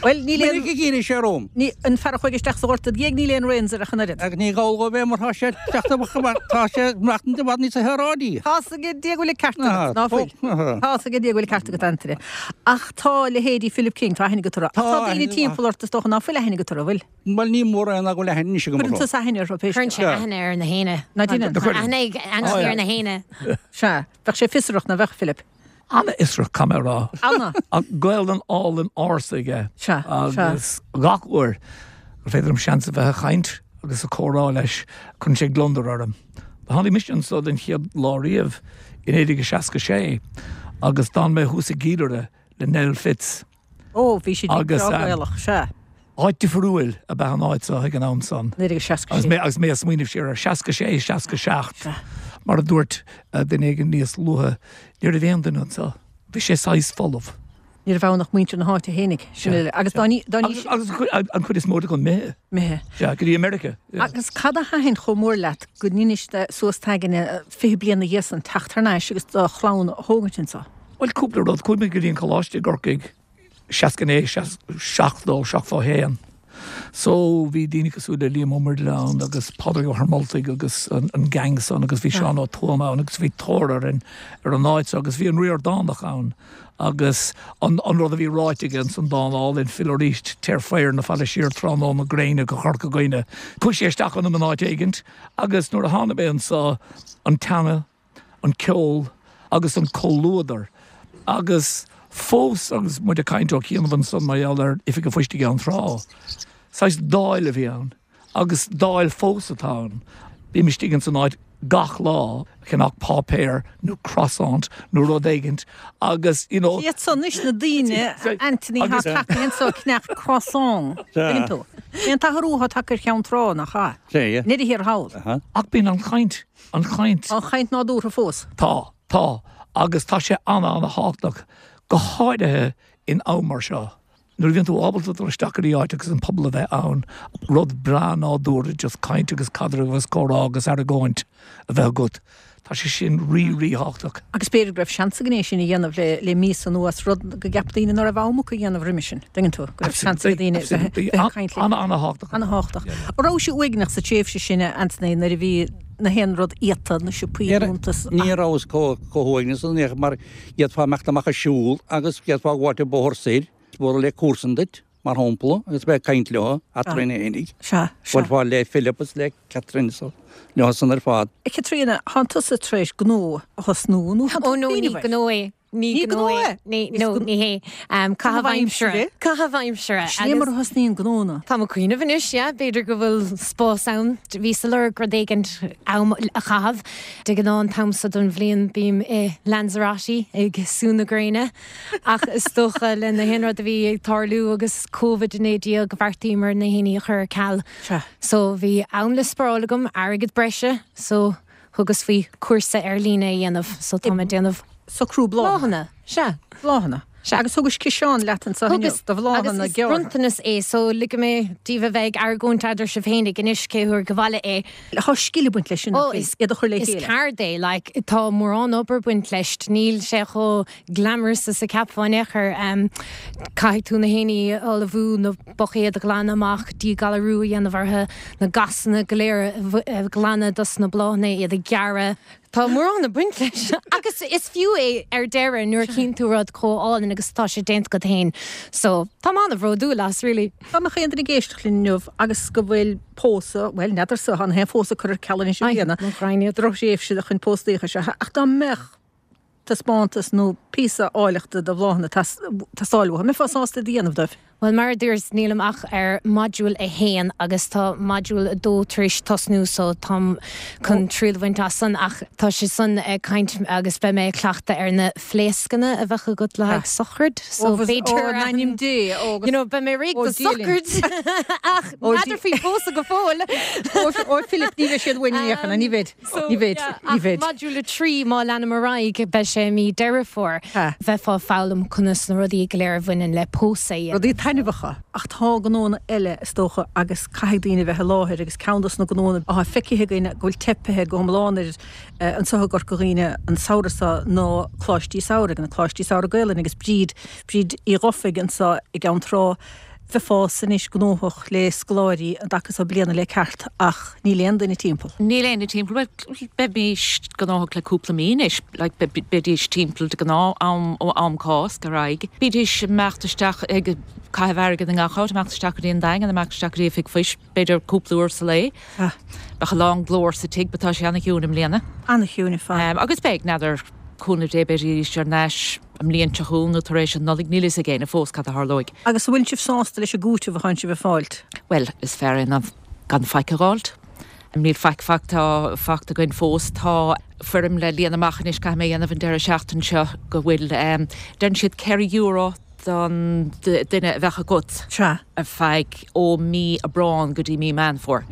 Well níl aon Ní gírí sé róm. ní an fear a chuaigh isteach sa ghort géag níl aon reins ar a chun oiread. Agus ní gáil go bheith mar tá sé tá sé machtan de bhd níos a heráidí. Tá go dé bhfuil ceart Ah, ná fuil. ah. Tá go dé bhfuil ceart agat Anthony. Ach tá leithéidí Philip King tá aithne agat orthu. Ach Tá Tá daoine aithne- timpeall ort is dócha ná fuil aithne agat orthu bhfuil. Well ní mór an go le hen go Cuireann tú aithne ar Cuireann péis. sé aithne ar na héine. Ná déanann. Aithne aithne ar na héine. Sea, bheadh sé fiosrach nach bheadh Philip. An-fhiosrach caithfidh mé a rá. Anna. An Gaelainn álainn ársa aige. Sea, Agus gach uair gur féidir liom seans a bheith ag caint agus ag comhrá leis cuireann sé gliondar orm. Tháinig mise anseo den chéad lá riamh in naoi déag seasca sé agus d'fhan mé thuas i gCiallaire le Nell Fitz. Ó, bhí sé Agus, um, Gaelach, sea. Áit difriúil ab ea an áit seo ag an am san. Naoi déag seasca Agus sé. mé agus mé ag smaoineamh siar ar seasca sé seasca seacht. Mar a dúirt eh, duine éigin níos luaithe, ní raibh aon duine anseo. Bhí sé saghas folamh. Ní raibh ann ach muintir na háite féinig. Sin eile. Agus dá ní dá ní Agus agus an chuid- an chuid is mó go mithe. mithe. Ja, go dtí America. Yeah. Agus cad a thaitin chomh mór leat go ndeinis suas tagann fiche bliana dhéas an teacht thar n-ais agus do chlann a thógaint anseo. Well cúpla rud chuaigh mé go dtí an coláiste i gCorcaigh seasca naoi seachtó seachtó haon. So bhí daoine cosúil le Liam Ó Muirthile ann agus Pádraig Ó hArmoltaigh agus an, an gang san agus bhí Seán Ó Tuama ann agus bhí tóir ar an ar an áit agus bhí an Ríordánach ann agus an, an rud a bhí ráite aige san dán álainn fill arís téir faoi na fallaí siar tráthnóna gréine go Corca Dhuibhne. Chuaigh sé isteach ionam an áit éigint agus nuair a tháinig mé anseo an teanga, an ceol agus an comhluadar agus fós agus muid ag caint ó chianaibh ansan mar gheall ar Oifig an Phoist i gCeann Trá. Saghas dáil a bhí ann agus dáil fós atá ann. Bím istigh san áit gach lá ceannach páipéar nó croissant nó rud éigint agus you know Iad san is na daoine Anthony ha so ceannach croissant. tú. An t-athrú atá tagtha ar Cheann Trá nach ea. Ní thiar thall. Ach bíonn an chaint an chaint An chaint nádúrtha fós. Tá tá agus tá sé an-an-thábhachtach go háirithe in am mar seo. Nuair bhíonn tú ábalta dul isteach go dtí áit agus an pobal a bheith ann rud breá nádúrtha just caint agus caidreamh agus comhrá agus argóint a bheith agat. Tá sé sin rí ríthábhachtach. Agus b'fhéidir go raibh seans againn é sin a dhéanamh le le mí anuas rud go gceap daoine nach raibh am acu a dhéanamh roimhe sin. Tuigeann tú go raibh seans ag daoine caint an an-thábhachtach. An-thábhachtach. Raibh sé uaigneach sa tréimhse sin Anthony nuair a bhí na haon rud iata na siopaí dúnta. Ní raibh comhuaigneas an mar d'fhéadfá imeacht amach ag siúl agus d'fhéadfá gabháil an bóthar soir, bualadh le comharsan duit mar shampla agus bheith ag caint leo eadrainn fhéinig. Sea, sea. Buailfeá le Philip is le Catherine so leo san ar fad. Caitríona, thánn tusa tar éis gnó a thosnú nó Ó no ní gnó é. Ní gnó é. Ní no ní hé. Um, Caitheamh aimsire. Caitheamh aimsire. Sin mar a thosnaíonn gnónna. Tá mé ag cuimhneamh anois, yeah, b'fhéidir go bhfuil spás ann. Bhíos ag lorg rud éigin am a chaitheamh. De ghnáth an t-am seo den bhliain bím i Lanzarote ag sú na gréine. Ach is dócha le na haon rud a bhí ag tarlú agus Covid naoi déag bheartaíomar na héiní a chur ar ceal. So bhí am le spáráil agam airgead breise, so thugas faoi cúrsa ar líne a dhéanamh, so tá mé ag déanamh socrú bláthanna. Sea. Bláthanna. Sea. Agus thugais ciseán leat anseo inniu do bhláthanna Agus is bronntanas é, so ligfidh mé daoibh a bheith ag argóint eadar sibh féinig anois cé huair go bhfaile é. Tá scil ag baint leis sin, Ó, is iad a chur le is chéile. ceard é, like, tá mórán obair ag baint leis, níl sé chomh glamorous is a cheapfá in aon chor. Um, caithfidh tú na héiní a ullmhú, na buicéid a ghlanadh amach, díghalarú a dhéanamh orthu, na gasanna go léir a ghlanadh dos na bláthanna, iad a ghearradh. Tá mórán ag baint leis. Agus is fiú é ar deireadh nuair a chíonn tú rud chomh álainn agus tá sé déanta agat féin. So tá mé an-bhródúil as, really. Dá mbeadh aon duine ag éisteacht linn inniu agus go bhfuil pósadh, bhuel, n'fheadarsa, tá na haon phósadh curtha ar ceal anois i mbliana. Mo ghraidhin iad. Drochthréimhse chun póstaíocha seo, ach dá mbeadh taispeántas nó píosa áilleachta de bhláthanna teastáil uathu, mbeifeá sásta iad a dhéanamh dóibh? Bhuel, mar a dúirt, nílim ach ar modúl a haon agus tá modúl a dó tar éis tosnú so táim chun triail a bhaint as san ach tá sé san ag caint agus beidh mé ag cleachtadh ar na fléascanna a bheadh agat le haghaidh sochraid so b'fhéidir Ó, ainm Dé, ó, you know, beidh mé réidh do sochraid ach n'fheadar faoi phósadh go fóill. Ó Philip, ní bheidh siad uainn in aon chor, ní bheidh, ní bheidh, ní bheidh. Modúl a trí má leanaim ar aghaidh beidh sé mí Deireadh Fómhair. Bheifeá ag foghlaim conas na rudaí go léir a bhaineann le pósadh. Rudaí taitneamhacha. Ach tá gnónna eile is dócha agus caithfidh daoine bheith i láthair agus ceann dos na gnónna atá feicthe againn go bhfuil teipthe go hiomlán ar anseo i gCorca Dhuibhne an samhradh seo ná Coláistí Samhraidh, na Coláistí Samhraidh Gaelainn agus Bríd, Bríd Uí Dhufaigh anseo i gCeann Trá. Bheifeása anois gnóthach le scoláirí an dtaca seo bliana le ceart ach níl aon duine timpeall. Níl aon duine timpeall, bhuel beimís gnóthach le cúpla mí anois, like beidís timpeall de ghnáth am ó am Cásc ar aghaidh. Bídís ag imeacht isteach ag caitheamh airgead i ngach áit, imeacht isteach go dtí an Daingean, imeacht isteach go dtí Oifig Phoist, b'fhéidir cúpla uair sa lae. Bheadh a lán glór sa tigh, but tá sé ana-chiúin i mbliana. Ana-chiúin ar fad. Agus beidh, n'fheadar, cúnamh Dé beidís ar ais an mbliain seo chugainn nó tar éis an Nollaig, níl a fhios ag éinne fós cad a tharlóidh. Agus an bhfuil sibh sásta leis an gcúiteamh a tánn sibh ag fáilt? Bhuel, is fearr é ná gan faic a dh'fháilt. Níl faic fachta fachta againn fós. Tá foirm le líonadh amach anois caithfidh mé a dhéanamh an deireadh seachtain seo go bhfuil deireann siad ceithre euro don duine a bheadh agat ar feadh ó mí Aibreán go dtí mí Meán Fómhair.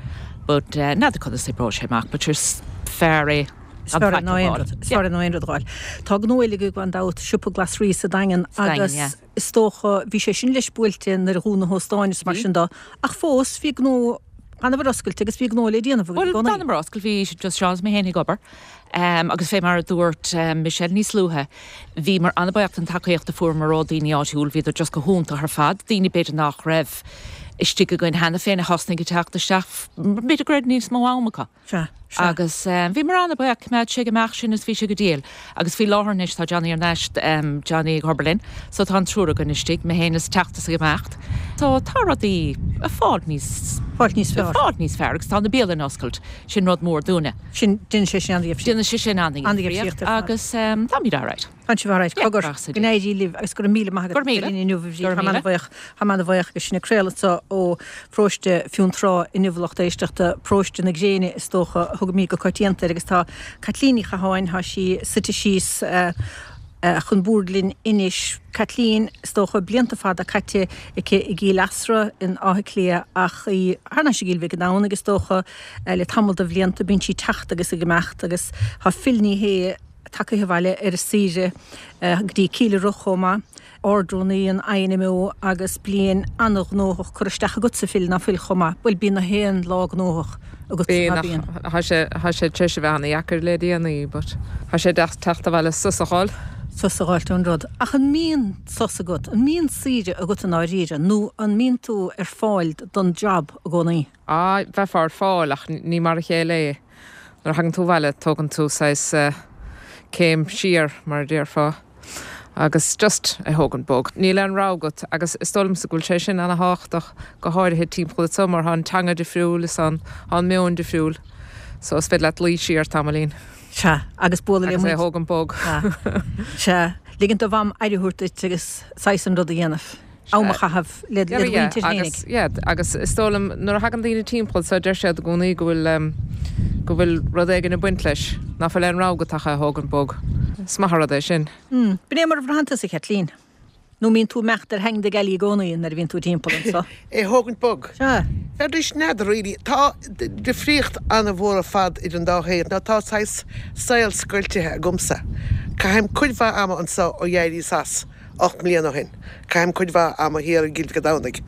But n'fheadar conas oibreoidh sé amach, but is fearr é. Is fearr ná aon rud, is fearr ná aon rud a dh'fháil. Tá gnó eile agaibh gan dabht, siopa glasraí sa Daingean agus is dócha, bhí sé sin leis buailte nuair a dhún na hóstáin is mar sin dó, ach fós bhí gnó, d'fhanabhair oscailte agus bhí gnó le déanamh agaibh i Bhuel, gcónaí. d'fhanamar oscailte, bhí just Seán is mé féin ag obair. Agus fé mar a dúirt Michelle níos luaithe, bhíomar an-bhuíoch den tacaíocht a fuaireamar ó daoine áitiúil, bhíodar just go hiontach ar fad, daoine b'fhéidir nach raibh istigh againn cheana féin a thosnaigh ag teacht isteach, b'fhéidir go raibh níos mó am acu. Sea, sea. Agus bhíomar an-bhuíoch, choimeád sé ag imeacht sinn is bhí sé go diail. Agus faoi láthair anois tá Johnny ar ais, Johnny ag obair linn, so tá an triúr againn istigh, mé féin is teachtas ag imeacht. So tá rudaí ag fáil níos, Fáil níos fearr. ag fáil níos fearr agus tá na bialanna oscailt, sin rud mór dúinne. Sin, déanann sé sin an-difríocht. Déanann sé sin an-difríocht an-difríocht agus táimid alright. Tá sibh alright. Yeah, Cogar, brath sa go n-éirí libh agus go raibh míle maith agat. Go raibh míle. Inniu a Bhríd. Go raibh Tá míle. an-bhuíoch, tá an-bhuíoch agus sinn ag craoladh anseo ó Pharóiste Fionntrá inniu lucht éisteachta, Paróiste na Gréine is dócha a thugaimid go coitianta air agus tá Caitlín Ní Chatháin, tá sí suite síos chun boird linn anois. Caitlín, is dócha, blianta fada caite aici i gCill Easra in Áth Cliath ach í thar n-ais i gCill Mhic an Domhnaigh is dócha le tamall de bhlianta. Bíonn sí ag teacht agus ag imeacht agus tá Phil Ní Sheaghdha tagtha abhaile ar a saoire go dtí Cill Rois chomh maith. Ard-Rúnaí an INMO agus bliain an-ghnóthach curtha isteach agatsa Phil, ná fuil chomh maith? Bhuel bíonn na haon lá gnóthach agatsa, ná bíonn? Tá sé tá sé tar éis a bheith an-dheacair le déanaí but tá sé deas teacht abhaile sos a fháil. Sos a fháilt ón rud. Ach an mbíonn sos agat? An mbíonn saoire agat i ndáiríre nó an mbíonn tú ar fáil don job i gcónaí? Á, bheifeá ar fáil ach ní mar a chéile é. Nuair a thagann tú abhaile tógann tú saghas céim siar mar a déarfá agus just é thógaint bog. Níl aon rogha agat agus is dóigh liomsa go bhfuil sé sin ana-thábhachtach go háirithe timpeall anseo mar tá an teanga difriúil is an an meon difriúil so is féidir leat luí siar tamaillín. Sea, agus bualadh le Agus é thógaint bog. Sea, ligint do mham aire a thabhairt duit agus saghas an rud a dhéanamh. Am a chaitheamh le do mhuintir féinig. Yeah, agus is dóigh liom nuair a thagann daoine timpeall so deir siad i gcónaí go bhfuil go bhfuil rud éigin ag baint leis, ná fuil aon rogha agat ach é a thógaint bog. Is maith an rud é sin. B'in é mar a bhraitheann tusa, a Chaitlín. Nó mbíonn tú ag imeacht ar theanga gealaí i gcónaí nuair a bhíonn tú timpeall anso? É thógaint bog. Sea. Bheidís, n'fheadar really. Tá difríocht an-mhór ar fad idir an dá shaol. Nó tá saghas saol scoiltithe agamsa. Caithim cuid mhaith ama anso ó d'éiríos as ocht mbliana ó shin. Caithim cuid mhaith ama thiar i gCill Mhic an Domhnaigh.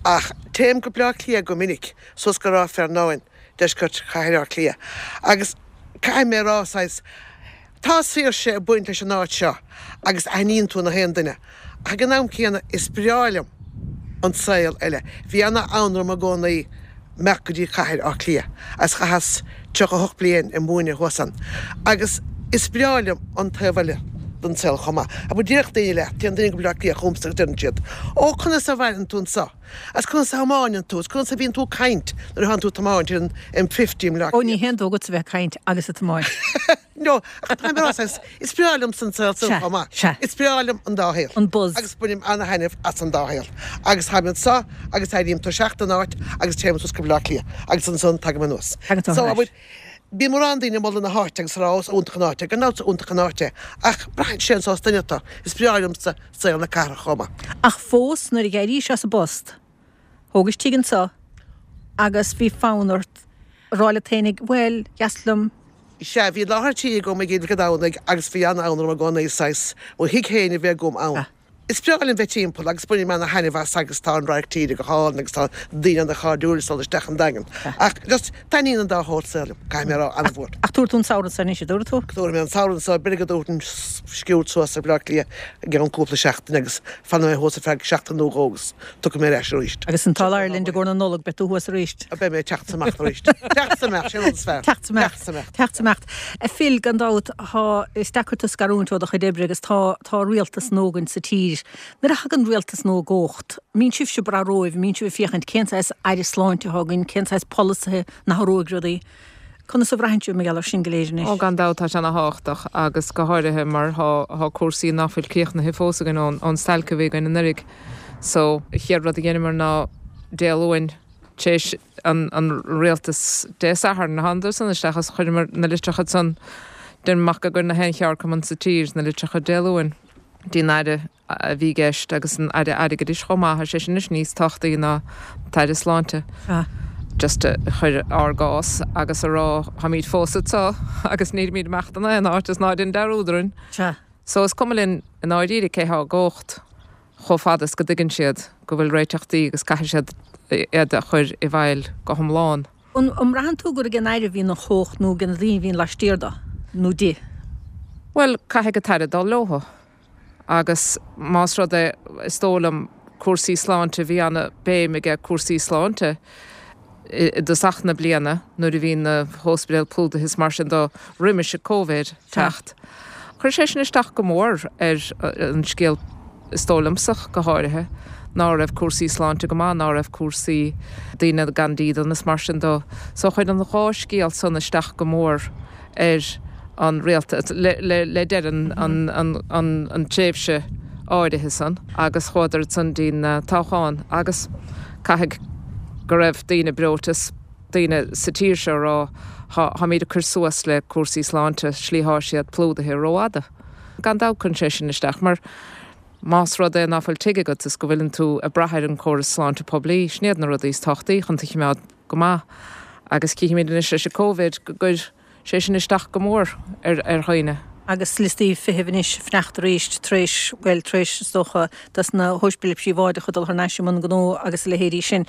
Ach téim go Bleá Cliath go minic, suas go Ráth Fearnáin, deisceart chathair Átha Cliath. Agus caithfidh mé a rá, saghas, tá saoirse ag baint leis an áit seo agus aithníonn tú na haon duine. Ach ag an am céanna is breá liom an saol eile. Bhí ana-fhonn orm i gcónaí imeacht go dtí cathair Átha Cliath agus chaitheas tríocha a hocht bliain ag múineadh thuas ann. Agus is breá liom an taobh eile den saol chomh maith. Abair déarfadh daoine leat, téann daoine go Baile Átha Cliath chugamsa agus deireann siad, Ó, conas a mhaireann tú anseo? Agus conas a thiomáineann tú? Agus conas a bhíonn tú ag caint nuair atánn tú ag tiomáint ar an M fifty i mBaile Átha Ó, ní haon dóigh agatsa bheith ag caint agus ag tiomáint. No, ach tá mé ag rá, saghas, is breá liomsa an saol san Sea, chomh maith. sea. Is breá liom an dá shaol. An buzz. Agus bainim ana-thaitneamh as an dá shaol. Agus táim anseo agus éirím tuirseach den áit agus téim suas go Baile Átha Cliath agus ansan tagaim anuas. Tagann tú So, thar ais. abair, bíonn mórán daoine ag moladh na háite agus ag rá, Ó, is iontach an áit é. Gan dabht is iontach an áit é. Ach braitheann sé an saghas duine atá. Is breá liomsa saol na cathrach chomh maith. Ach fós, nuair a d'éirís as an bpost, thógais tigh anseo agus bhí fonn ort a rá leat fhéinig, bhuel, dheas liom. Sea, bhí láthair tí agam i gCill Mhic an Domhnaigh agus bhí an-fhonn orm i gcónaí saghas mo thigh féin a bheith agam ann. Is breá liom bheith timpeall agus bainim ana-thaitneamh as agus tá an radharc tíre go hálainn agus tá daoine ana-chairdiúil ag dul isteach an Daingean. Ach just taitníonn an dá shórt saoil liom, caithfidh mé a rá, an-mhór. Ach tabharfaidh tú an samhradh seo anois, a dúirt tú? Tabharfaidh mé an samhradh seo, b'fhéidir go dtabharfainn sciuird suas ar Bhaile Átha Cliath i gceann cúpla seachtain agus fanfaidh mé thuas ar feadh seachtain nó dhó agus tiocfaidh mé ar ais arís. Agus an t-ádh linn i gcomhair na Nollag, beidh tú thuas arís. Beidh mé ag teacht is imeacht arís. Teacht is imeacht, sin an rud is fearr. Teacht is imeacht. Teacht is imeacht. Teacht is imeacht. A Phil, gan dabht, tá, is deacair tú a scarúint ó do chuid oibre agus tá, tá rialtas nua againn sa tír. Nuair a thagann rialtas nua i gcumhacht, mbíonn sibhse ag brath romhaibh, mbíonn sibh ag féachaint cén saghas aire sláinte atá againn, cén saghas polasaithe na hathróidh rudaí. Conas a bhraitheann sibh mar gheall air sin go léir anois? Ó, gan dabht tá sé ana-thábhachtach agus go háirithe mar tá, tá cúrsaí ná fuil críochnaithe fós againn ón, ón stailc a bhí againn anuraidh. So, an chéad rud a dheineamar ná Dé Luain, tar éis an, an rialtas Dé Sathairn, thánadar san isteach agus chuireamar na litreacha san, deirim amach go na haon cheardchumann sa tír, na litreacha Dé Luain. Dtí'n Aire a bhí i gceist agus an Aire Airgeadais chomh maith, tá sé sin anois níos tábhachtaí ná an tAire Sláinte. Just a chur ár gcás agus a rá táimid fós anseo agus nílimid ag imeacht in aon áit is ná déan dearúd orainn. So is cuma linn i ndáiríre cé há i gcumhacht chomh fada is go dtuigeann siad go bhfuil réiteachtaí agus caithfidh siad iad a chur i bhfeighil go hiomlán. An mbraitheann tú gur ag an Aire a bhíonn an chumhacht nó ag na daoine a bhíonn laistiar de nó di? Bhuel, caithfidh an tAire dul leothu. Agus más rud é, is dóigh liom, cúrsaí sláinte, bhí ana-bhéim aige cúrsaí sláinte i dtosach na bliana nuair a bhí na hóspidéil plódaithe is mar sin de roimis an Covid teacht. Chuir sé sin isteach go mór ar an scéal, is dóigh liomsa go háirithe, ná raibh cúrsaí sláinte go maith, ná raibh cúrsaí daoine gan dídean is mar sin de. So chuir an dhá scéal san isteach go mór ar an rialtas le deireadh an tréimhse áirithe san agus chuadar san dtí'n toghchán agus caithfidh go raibh daoine breoite is daoine sa tír seo rá táimid ag cur suas le cúrsaí sláinte slí thá siad plódaithe rófhada. Gan dabht cuireann sé sin isteach mar más rud é nach bhfuil tigh agat is go bhfuileann tú ag brath ar an córas sláinte poiblí, sin iad na rudaí is tábhachtaí chun tú a choimeád go maith. Agus cífimid anois leis an Covid go gcuir sé sin isteach go mór ar ar dhaoine. Agus liostaí feithimh anois ag fanacht arís tar éis, bhuel, tar éis, is dócha, dos na hóispidéil phríobháideacha dul thar n-ais i mbun gnó agus a leithéidí sin.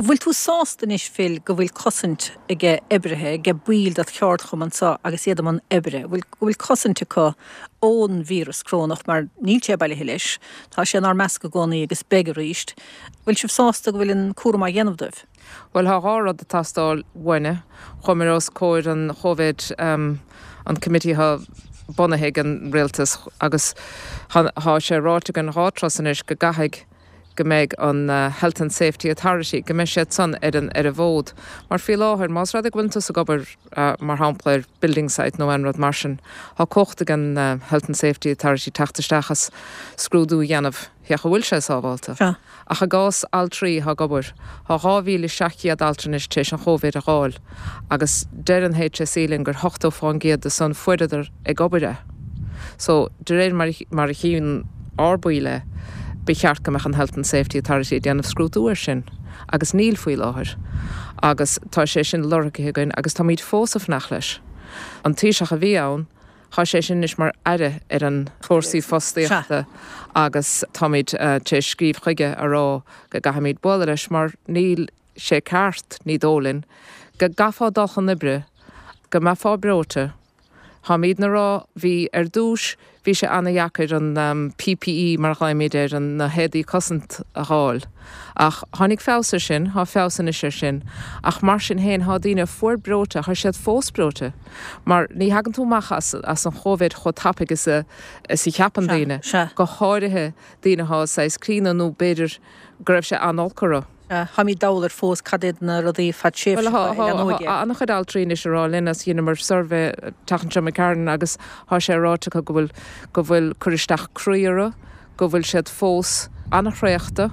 Bhfuil tú sásta anois, Phil, go bhfuil cosaint age oibrithe, age baill dod cheardchumann seo agus iad i mbun oibre, bhfuil, go bhfuil cosaint acu ón víreas corónach mar níl sé bailithe leis, tá sé inár measc i gcónaí agus beidh arís. Bhfuil sibh sásta go bhfuil an cúram á dhéanamh dóibh? Bhuel, thá dhá rud ag teastáil uainne. Chuamar os comhair an Chomhid, an committee atá bunaithe ag an rialtas agus thá sé ráite againn dhá turas anois go gcaithfidh go mbeidh an Health and Safety Authority, go mbeidh siad san ar an ar an bhfód. Mar faoi láthair, más rud é go bhfuil tusa ag obair mar shampla ar building site nó aon rud mar sin, thá cumhacht ag an Health and Safety Authority teacht isteach is scrúdú a dhéanamh féach an bhfuil sé sábháilte. Ach i gcás altraí atá ag obair, tá dhá mhíle seacht gcéad altra anois tar éis an Chóivid a dh'fháil agus deir an HSE linn gur ochtó fán gcéad de san fuaireadar ag obair é. So, de réir mar mar a chíonn ár baill é, ba cheart go mbeadh an Health and Safety Authority ag déanamh scrúdú air sin agus níl faoi láthair. Agus tá sé sin lorgaithe againn agus táimid fós ag fanacht leis. An Taoiseach a bhí ann, Tá sé sin anois mar aire ar an chúrsaí fostaíochta agus táimid tar éis scríobh chuige a rá go gcaithfimid bualadh leis mar níl sé ceart, ní dóigh linn, go gcaithfeá dul chun oibre, go mbeifeá breoite. Táimidne a rá, bhí ar dtús, bhí sé ana-dheacair an PPE mar a ghlaoimid air, an na héadaí cosanta a dh'fháil. Ach tháinig feabhas ar sin, thá feabhas anois ar sin. Ach mar sin féin, thá daoine a fuair breoite, thá siad fós breoite. Mar ní thagann tú amach as as an Chóivid chomh tapaidh is a is a cheapann daoine. Go háirithe daoine athá saghas críonna nó b'fhéidir go raibh sé an-olc orthu. Táimid dall air fós cad iad na rudaí fadtréimhseacha a leanóidh é. Tá an-chuid altraí anois ag rá linn as dheineamar suirbhé an tseachtain seo imigh tharainn agus tá sé ráite acu go bhfuil go bhfuil cur isteach croí orthu, go bhfuil siad fós an-thraochta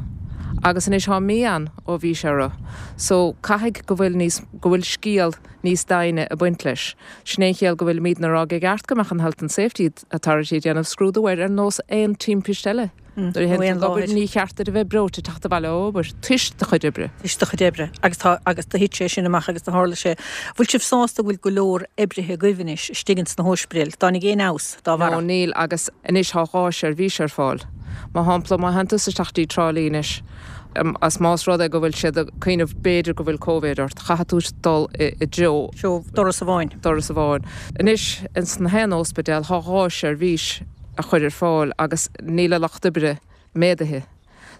agus anois tá mí ann ó bhí sé orthu. So caithfidh go bhfuil níos go bhfuil scéal níos doimhne ag baint leis. Sin é an chiall go bhfuilimidne ag rá gur cheart go mbeadh an Health and Safety Authority ag déanamh scrúdú air ar nós aon timpiste eile. Nuair a théann tú ag obair ní cheart duit a bheith breoite ag teacht abhaile ó obair, toisc do chuid oibre. Toisc do chuid oibre. Agus tá, agus do thit sé sin amach agus do tharla sé. Bhfuil sibh sásta go bhfuil go leor oibrithe agaibh anois istigh ins na hóispidéil? Dtáinig aon fheabhas dá bharra? No, níl agus anois tá dhá seirbhís ar fáil. Mar shampla, má théann tusa isteach dtí Trá Lí anois, as más rud é go bhfuil siad ag cuimhneamh b'fhéidir go bhfuil Covid ort, chaithfidh tú dul i dtreo. Treo doras amháin. Doras amháin. Anois, ins na haon óspidéal, tá dhá seirbhís. a chur ar fáil agus níl an lucht oibre méadaithe.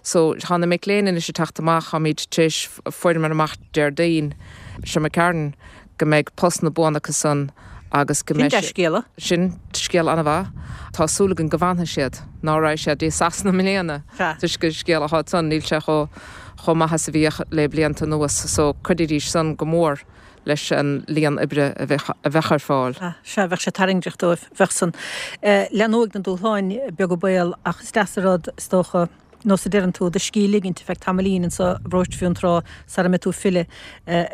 So tá na mic léinn anois ag teacht amach, táimid tar éis fuaireamar amach Déardaoin seo imigh tharainn go mbeidh postanna buana acu san agus go mbeidh Sin dea-scéala. Sin scéal an-mhaith. Tá súil againn go bhfanfaidh siad, ná raghaidh siad dtí Sasana i mbliana toisc an scéal atá ansan, níl sé chomh chomh maith is a bhíodh le blianta anuas. So chuideoidís san go mór. leis an líon oibre a bheadh ar fáil. Sea, bheadh sé tarraingteach dóibh, bheadh san. Leathnóidh na dúshláin, beag an baol, ach is deas an rud, is dócha, nós a deireann tú, do scíth a ligint ar feadh tamaillín anso i bparóiste Fionntrá sara mbeidh tú ag filleadh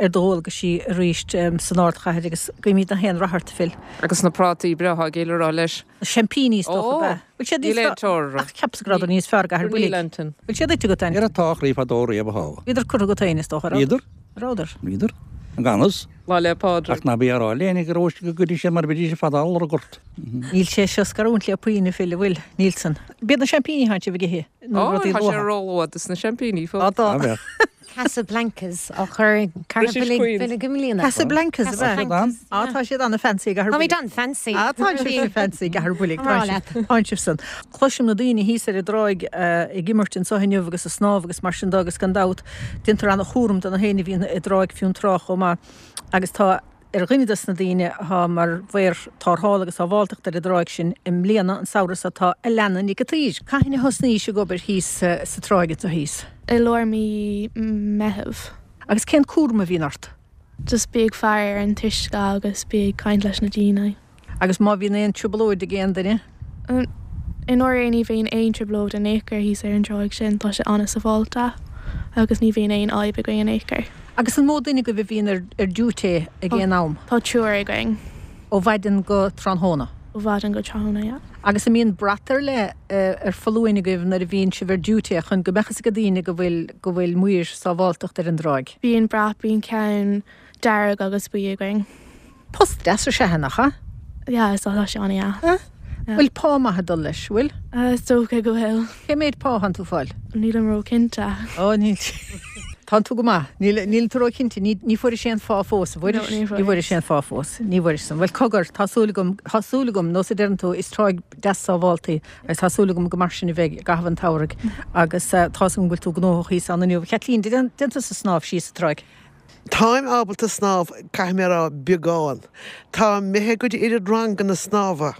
ar do dhualgaisí arís san ardchathair agus guímid gach aon rath ort, a Phil. Agus na prátaí breátha ag Gil a rá leis. Na seaimpíní, is dócha, ab ea? Bhfuil siad níos fearr? Ach cheapas go rabhadar níos fearr i gCathair Builg. Bhfuil siad ite agat, Annie? Ar atá a chroí fadó riamh a thá. Bhíodar curtha agat féin, is dócha, a raibh? Bhíodar. Rabhadar. Bhíodar. Gan fhios. Lá 'le Pádraig. Ach ná bí á rá le éinne go raibh go gcuirfidh sé mar a bhídís ag fad lorg ort. Níl sé seo scarúint le puinn, a Phil, an bhfuil? Níl san. B'iad na seaimpíní atánn sibh ag ithe nó Ó, rudaí tá sé luatha? róluath dos na seaimpíní fós. Á, tá. Á, bheadh. Casablancas á chur ag Cathair British Builg Queens. Builg i mbliana. Casablancas, ab ea? Casablancas, Á, tá siad an-fancy i gCathair Táimid Builg. an-fancy. Á, tá sibh fancy i gCathair Builg. Tá mé ag rá leat. Tánn sibh san. Cloisim na daoine thíos ar an dtráigh ag imirt anso inniu agus ag snámh agus mar sin de agus gan dabht déantar an-chúram de na héinne a bhíonn i dTráigh Fionntrá chomh maith agus tá ar dhuine des na daoine atá mar mhaor tarrthála agus sábháilteachta ar an dtráigh sin i mbliana, an samhradh seo, tá Alana Nic a' tSaoir. Cathain a thosnaís ag obair thíos sa tráigh anseo thíos? I lár mí Meitheamh. Agus cén cúram a bhíonn ort? Just bí ag faire ar an t-uisce agus bí ag caint leis na daoine. Agus má bhíonn aon trioblóid ag aon duine? I ndáiríre ní bhíonn aon trioblóid in aon chor thíos ar an dtráigh sin, tá sé an-sábháilte agus ní bhíonn aon fhadhb againn in aon chor. Agus an mó duine agaibh a bhíonn ar ar duty ag aon am? Tá triúr againn. Ó mhaidin go tráthnóna? Ó mhaidin go tráthnóna, yeah. Agus an mbíonn brat ar leith ar foluain agaibh nuair a bhíonn sibh ar duty chun go mbeadh fhios ag daoine go bhfuil go bhfuil maoir sábháilteacht ar an dtráigh? Bíonn brat, bíonn ceann dearg agus buí againn. Post deas is ea nach ea? Yeah, is tá sé an-deas. Bhfuil pá maith ag dul leis, bhfuil? Is dócha go bhfuil. Cé méid pá atánn tú fáil? Nílim ró-chinnte. Ó, níl. Tánn tú go maith. Níl, níl tú ró-chinnte. Ní, ní fuairis aon phá fós, an bhfuairis? No, ní Ní bhfuairis aon phá fós. Ní bhfuairis san. Bhuel, cogar, tá súil agam, tá súil agam, nós a deireann tú, is tráigh deas sábhálta í agus tá súil agam go mar sin a bheidh i gcaitheamh an tsamhraidh agus tá 's agam go bhfuil tú gnóthach thíos ann inniu. Chaitlín, déan tusa snámh síos sa tráigh? Táim ábalta snámh, caithfidh mé a rá, beagán. Tá imithe go dtí oiread ranganna snámha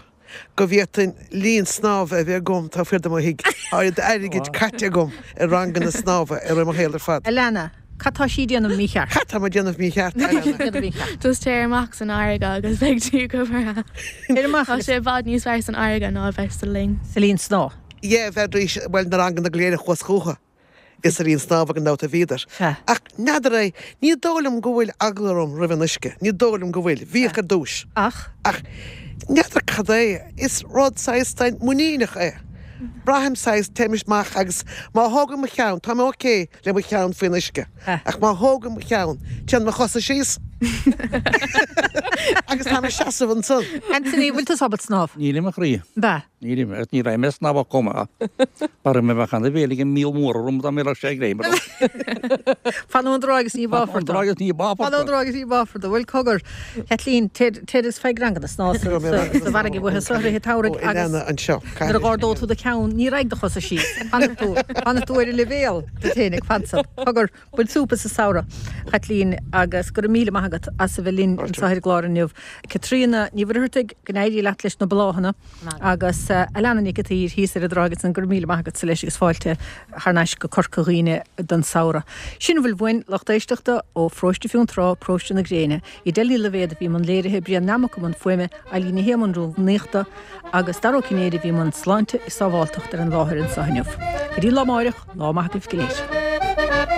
go bhféadfainn linn snámha a bheith agam taobh thiar de mo thigh. Tá oiread airgid caite agam ar ranganna snámha i rith mo shaol ar fad. Alana, cad tá sí ag déanamh mícheart? Cad tá mé ag déanamh mícheart, Alana? Just téir amach san fharraige agus beidh tú go breá. Téir amach Tá sé i bhfad níos fearr san fharraige ná a bheith sa linn. Sa linn snámha? Yeah, bheadh, bhuel, na ranganna go léir a chuas chucu. Is sa linn snámha gan dabht a bhíodar. Ach n'fheadar é, ní dóigh liom go bhfuil eagla orm roimh an uisce, ní dóigh liom go bhfuil. Bhíodh ar dtús. Ach? Ach n'fheadar cad é, is rud saghas muiníneach é. Braithim saghas, téim amach agus má thógaim mo cheann, tá mé ok le mo cheann faoin uisce, ach má thógaim mo cheann, téann mo chosa síos agus tá mé ag seasamh ansan. Anthony, bhfuil tú ábalta snámh? Nílim a chroí. Ba. Nílim, agus ní raibh mé ag snámh chomh maith. Mar mé bheadh ana bhéal ag an míol mór orm dá mbeadh sé ag léim orm. Fan ón dtráigh agus ní bháfar Fan ón dtráigh agus ní bháfar Fan ón dtráigh agus ní bháfar tú. Bhuel, cogar, Caitlín, téir is faigh ranganna snámha sa bhfarraige uaithe seo i rith an tsamhraidh agus nuair a dh'ardóidh tú do cheann, ní raghaidh do chosa síos. Fanfaidh tú, fanfaidh tú ar an leibhéal duit féinig, fan san. Cogar, bain súp as an samhradh, Chaitlín, agus go raibh míle maith agat as a bheith linn anseo ar an gclár inniu. Caitríona Ní Mhuircheartaigh, go n-éirí leat leis na bláthanna agus Alana Nic an tSaoir thíos ar an dtráigh ansan, go raibh míle maith agatsa leis agus fáilte thar n-ais go Corca Dhuibhne don samhradh. Sin a bhfuil uainn, lucht éisteachta, ó Pharóiste Fionntrá, Paróiste na Gréine. Edel Ní Loibhéad a bhí i mbun léirithe, Brian Nammock i mbun fuaime, Eileen Ní Shé i mbun rúnaíochta agus Dara Ó Cinnéide a bhí i mbun sláinte is sábháltacht ar an láthair anseo inniu. Go dtí lá amáireach, lá maith agaibh go léir.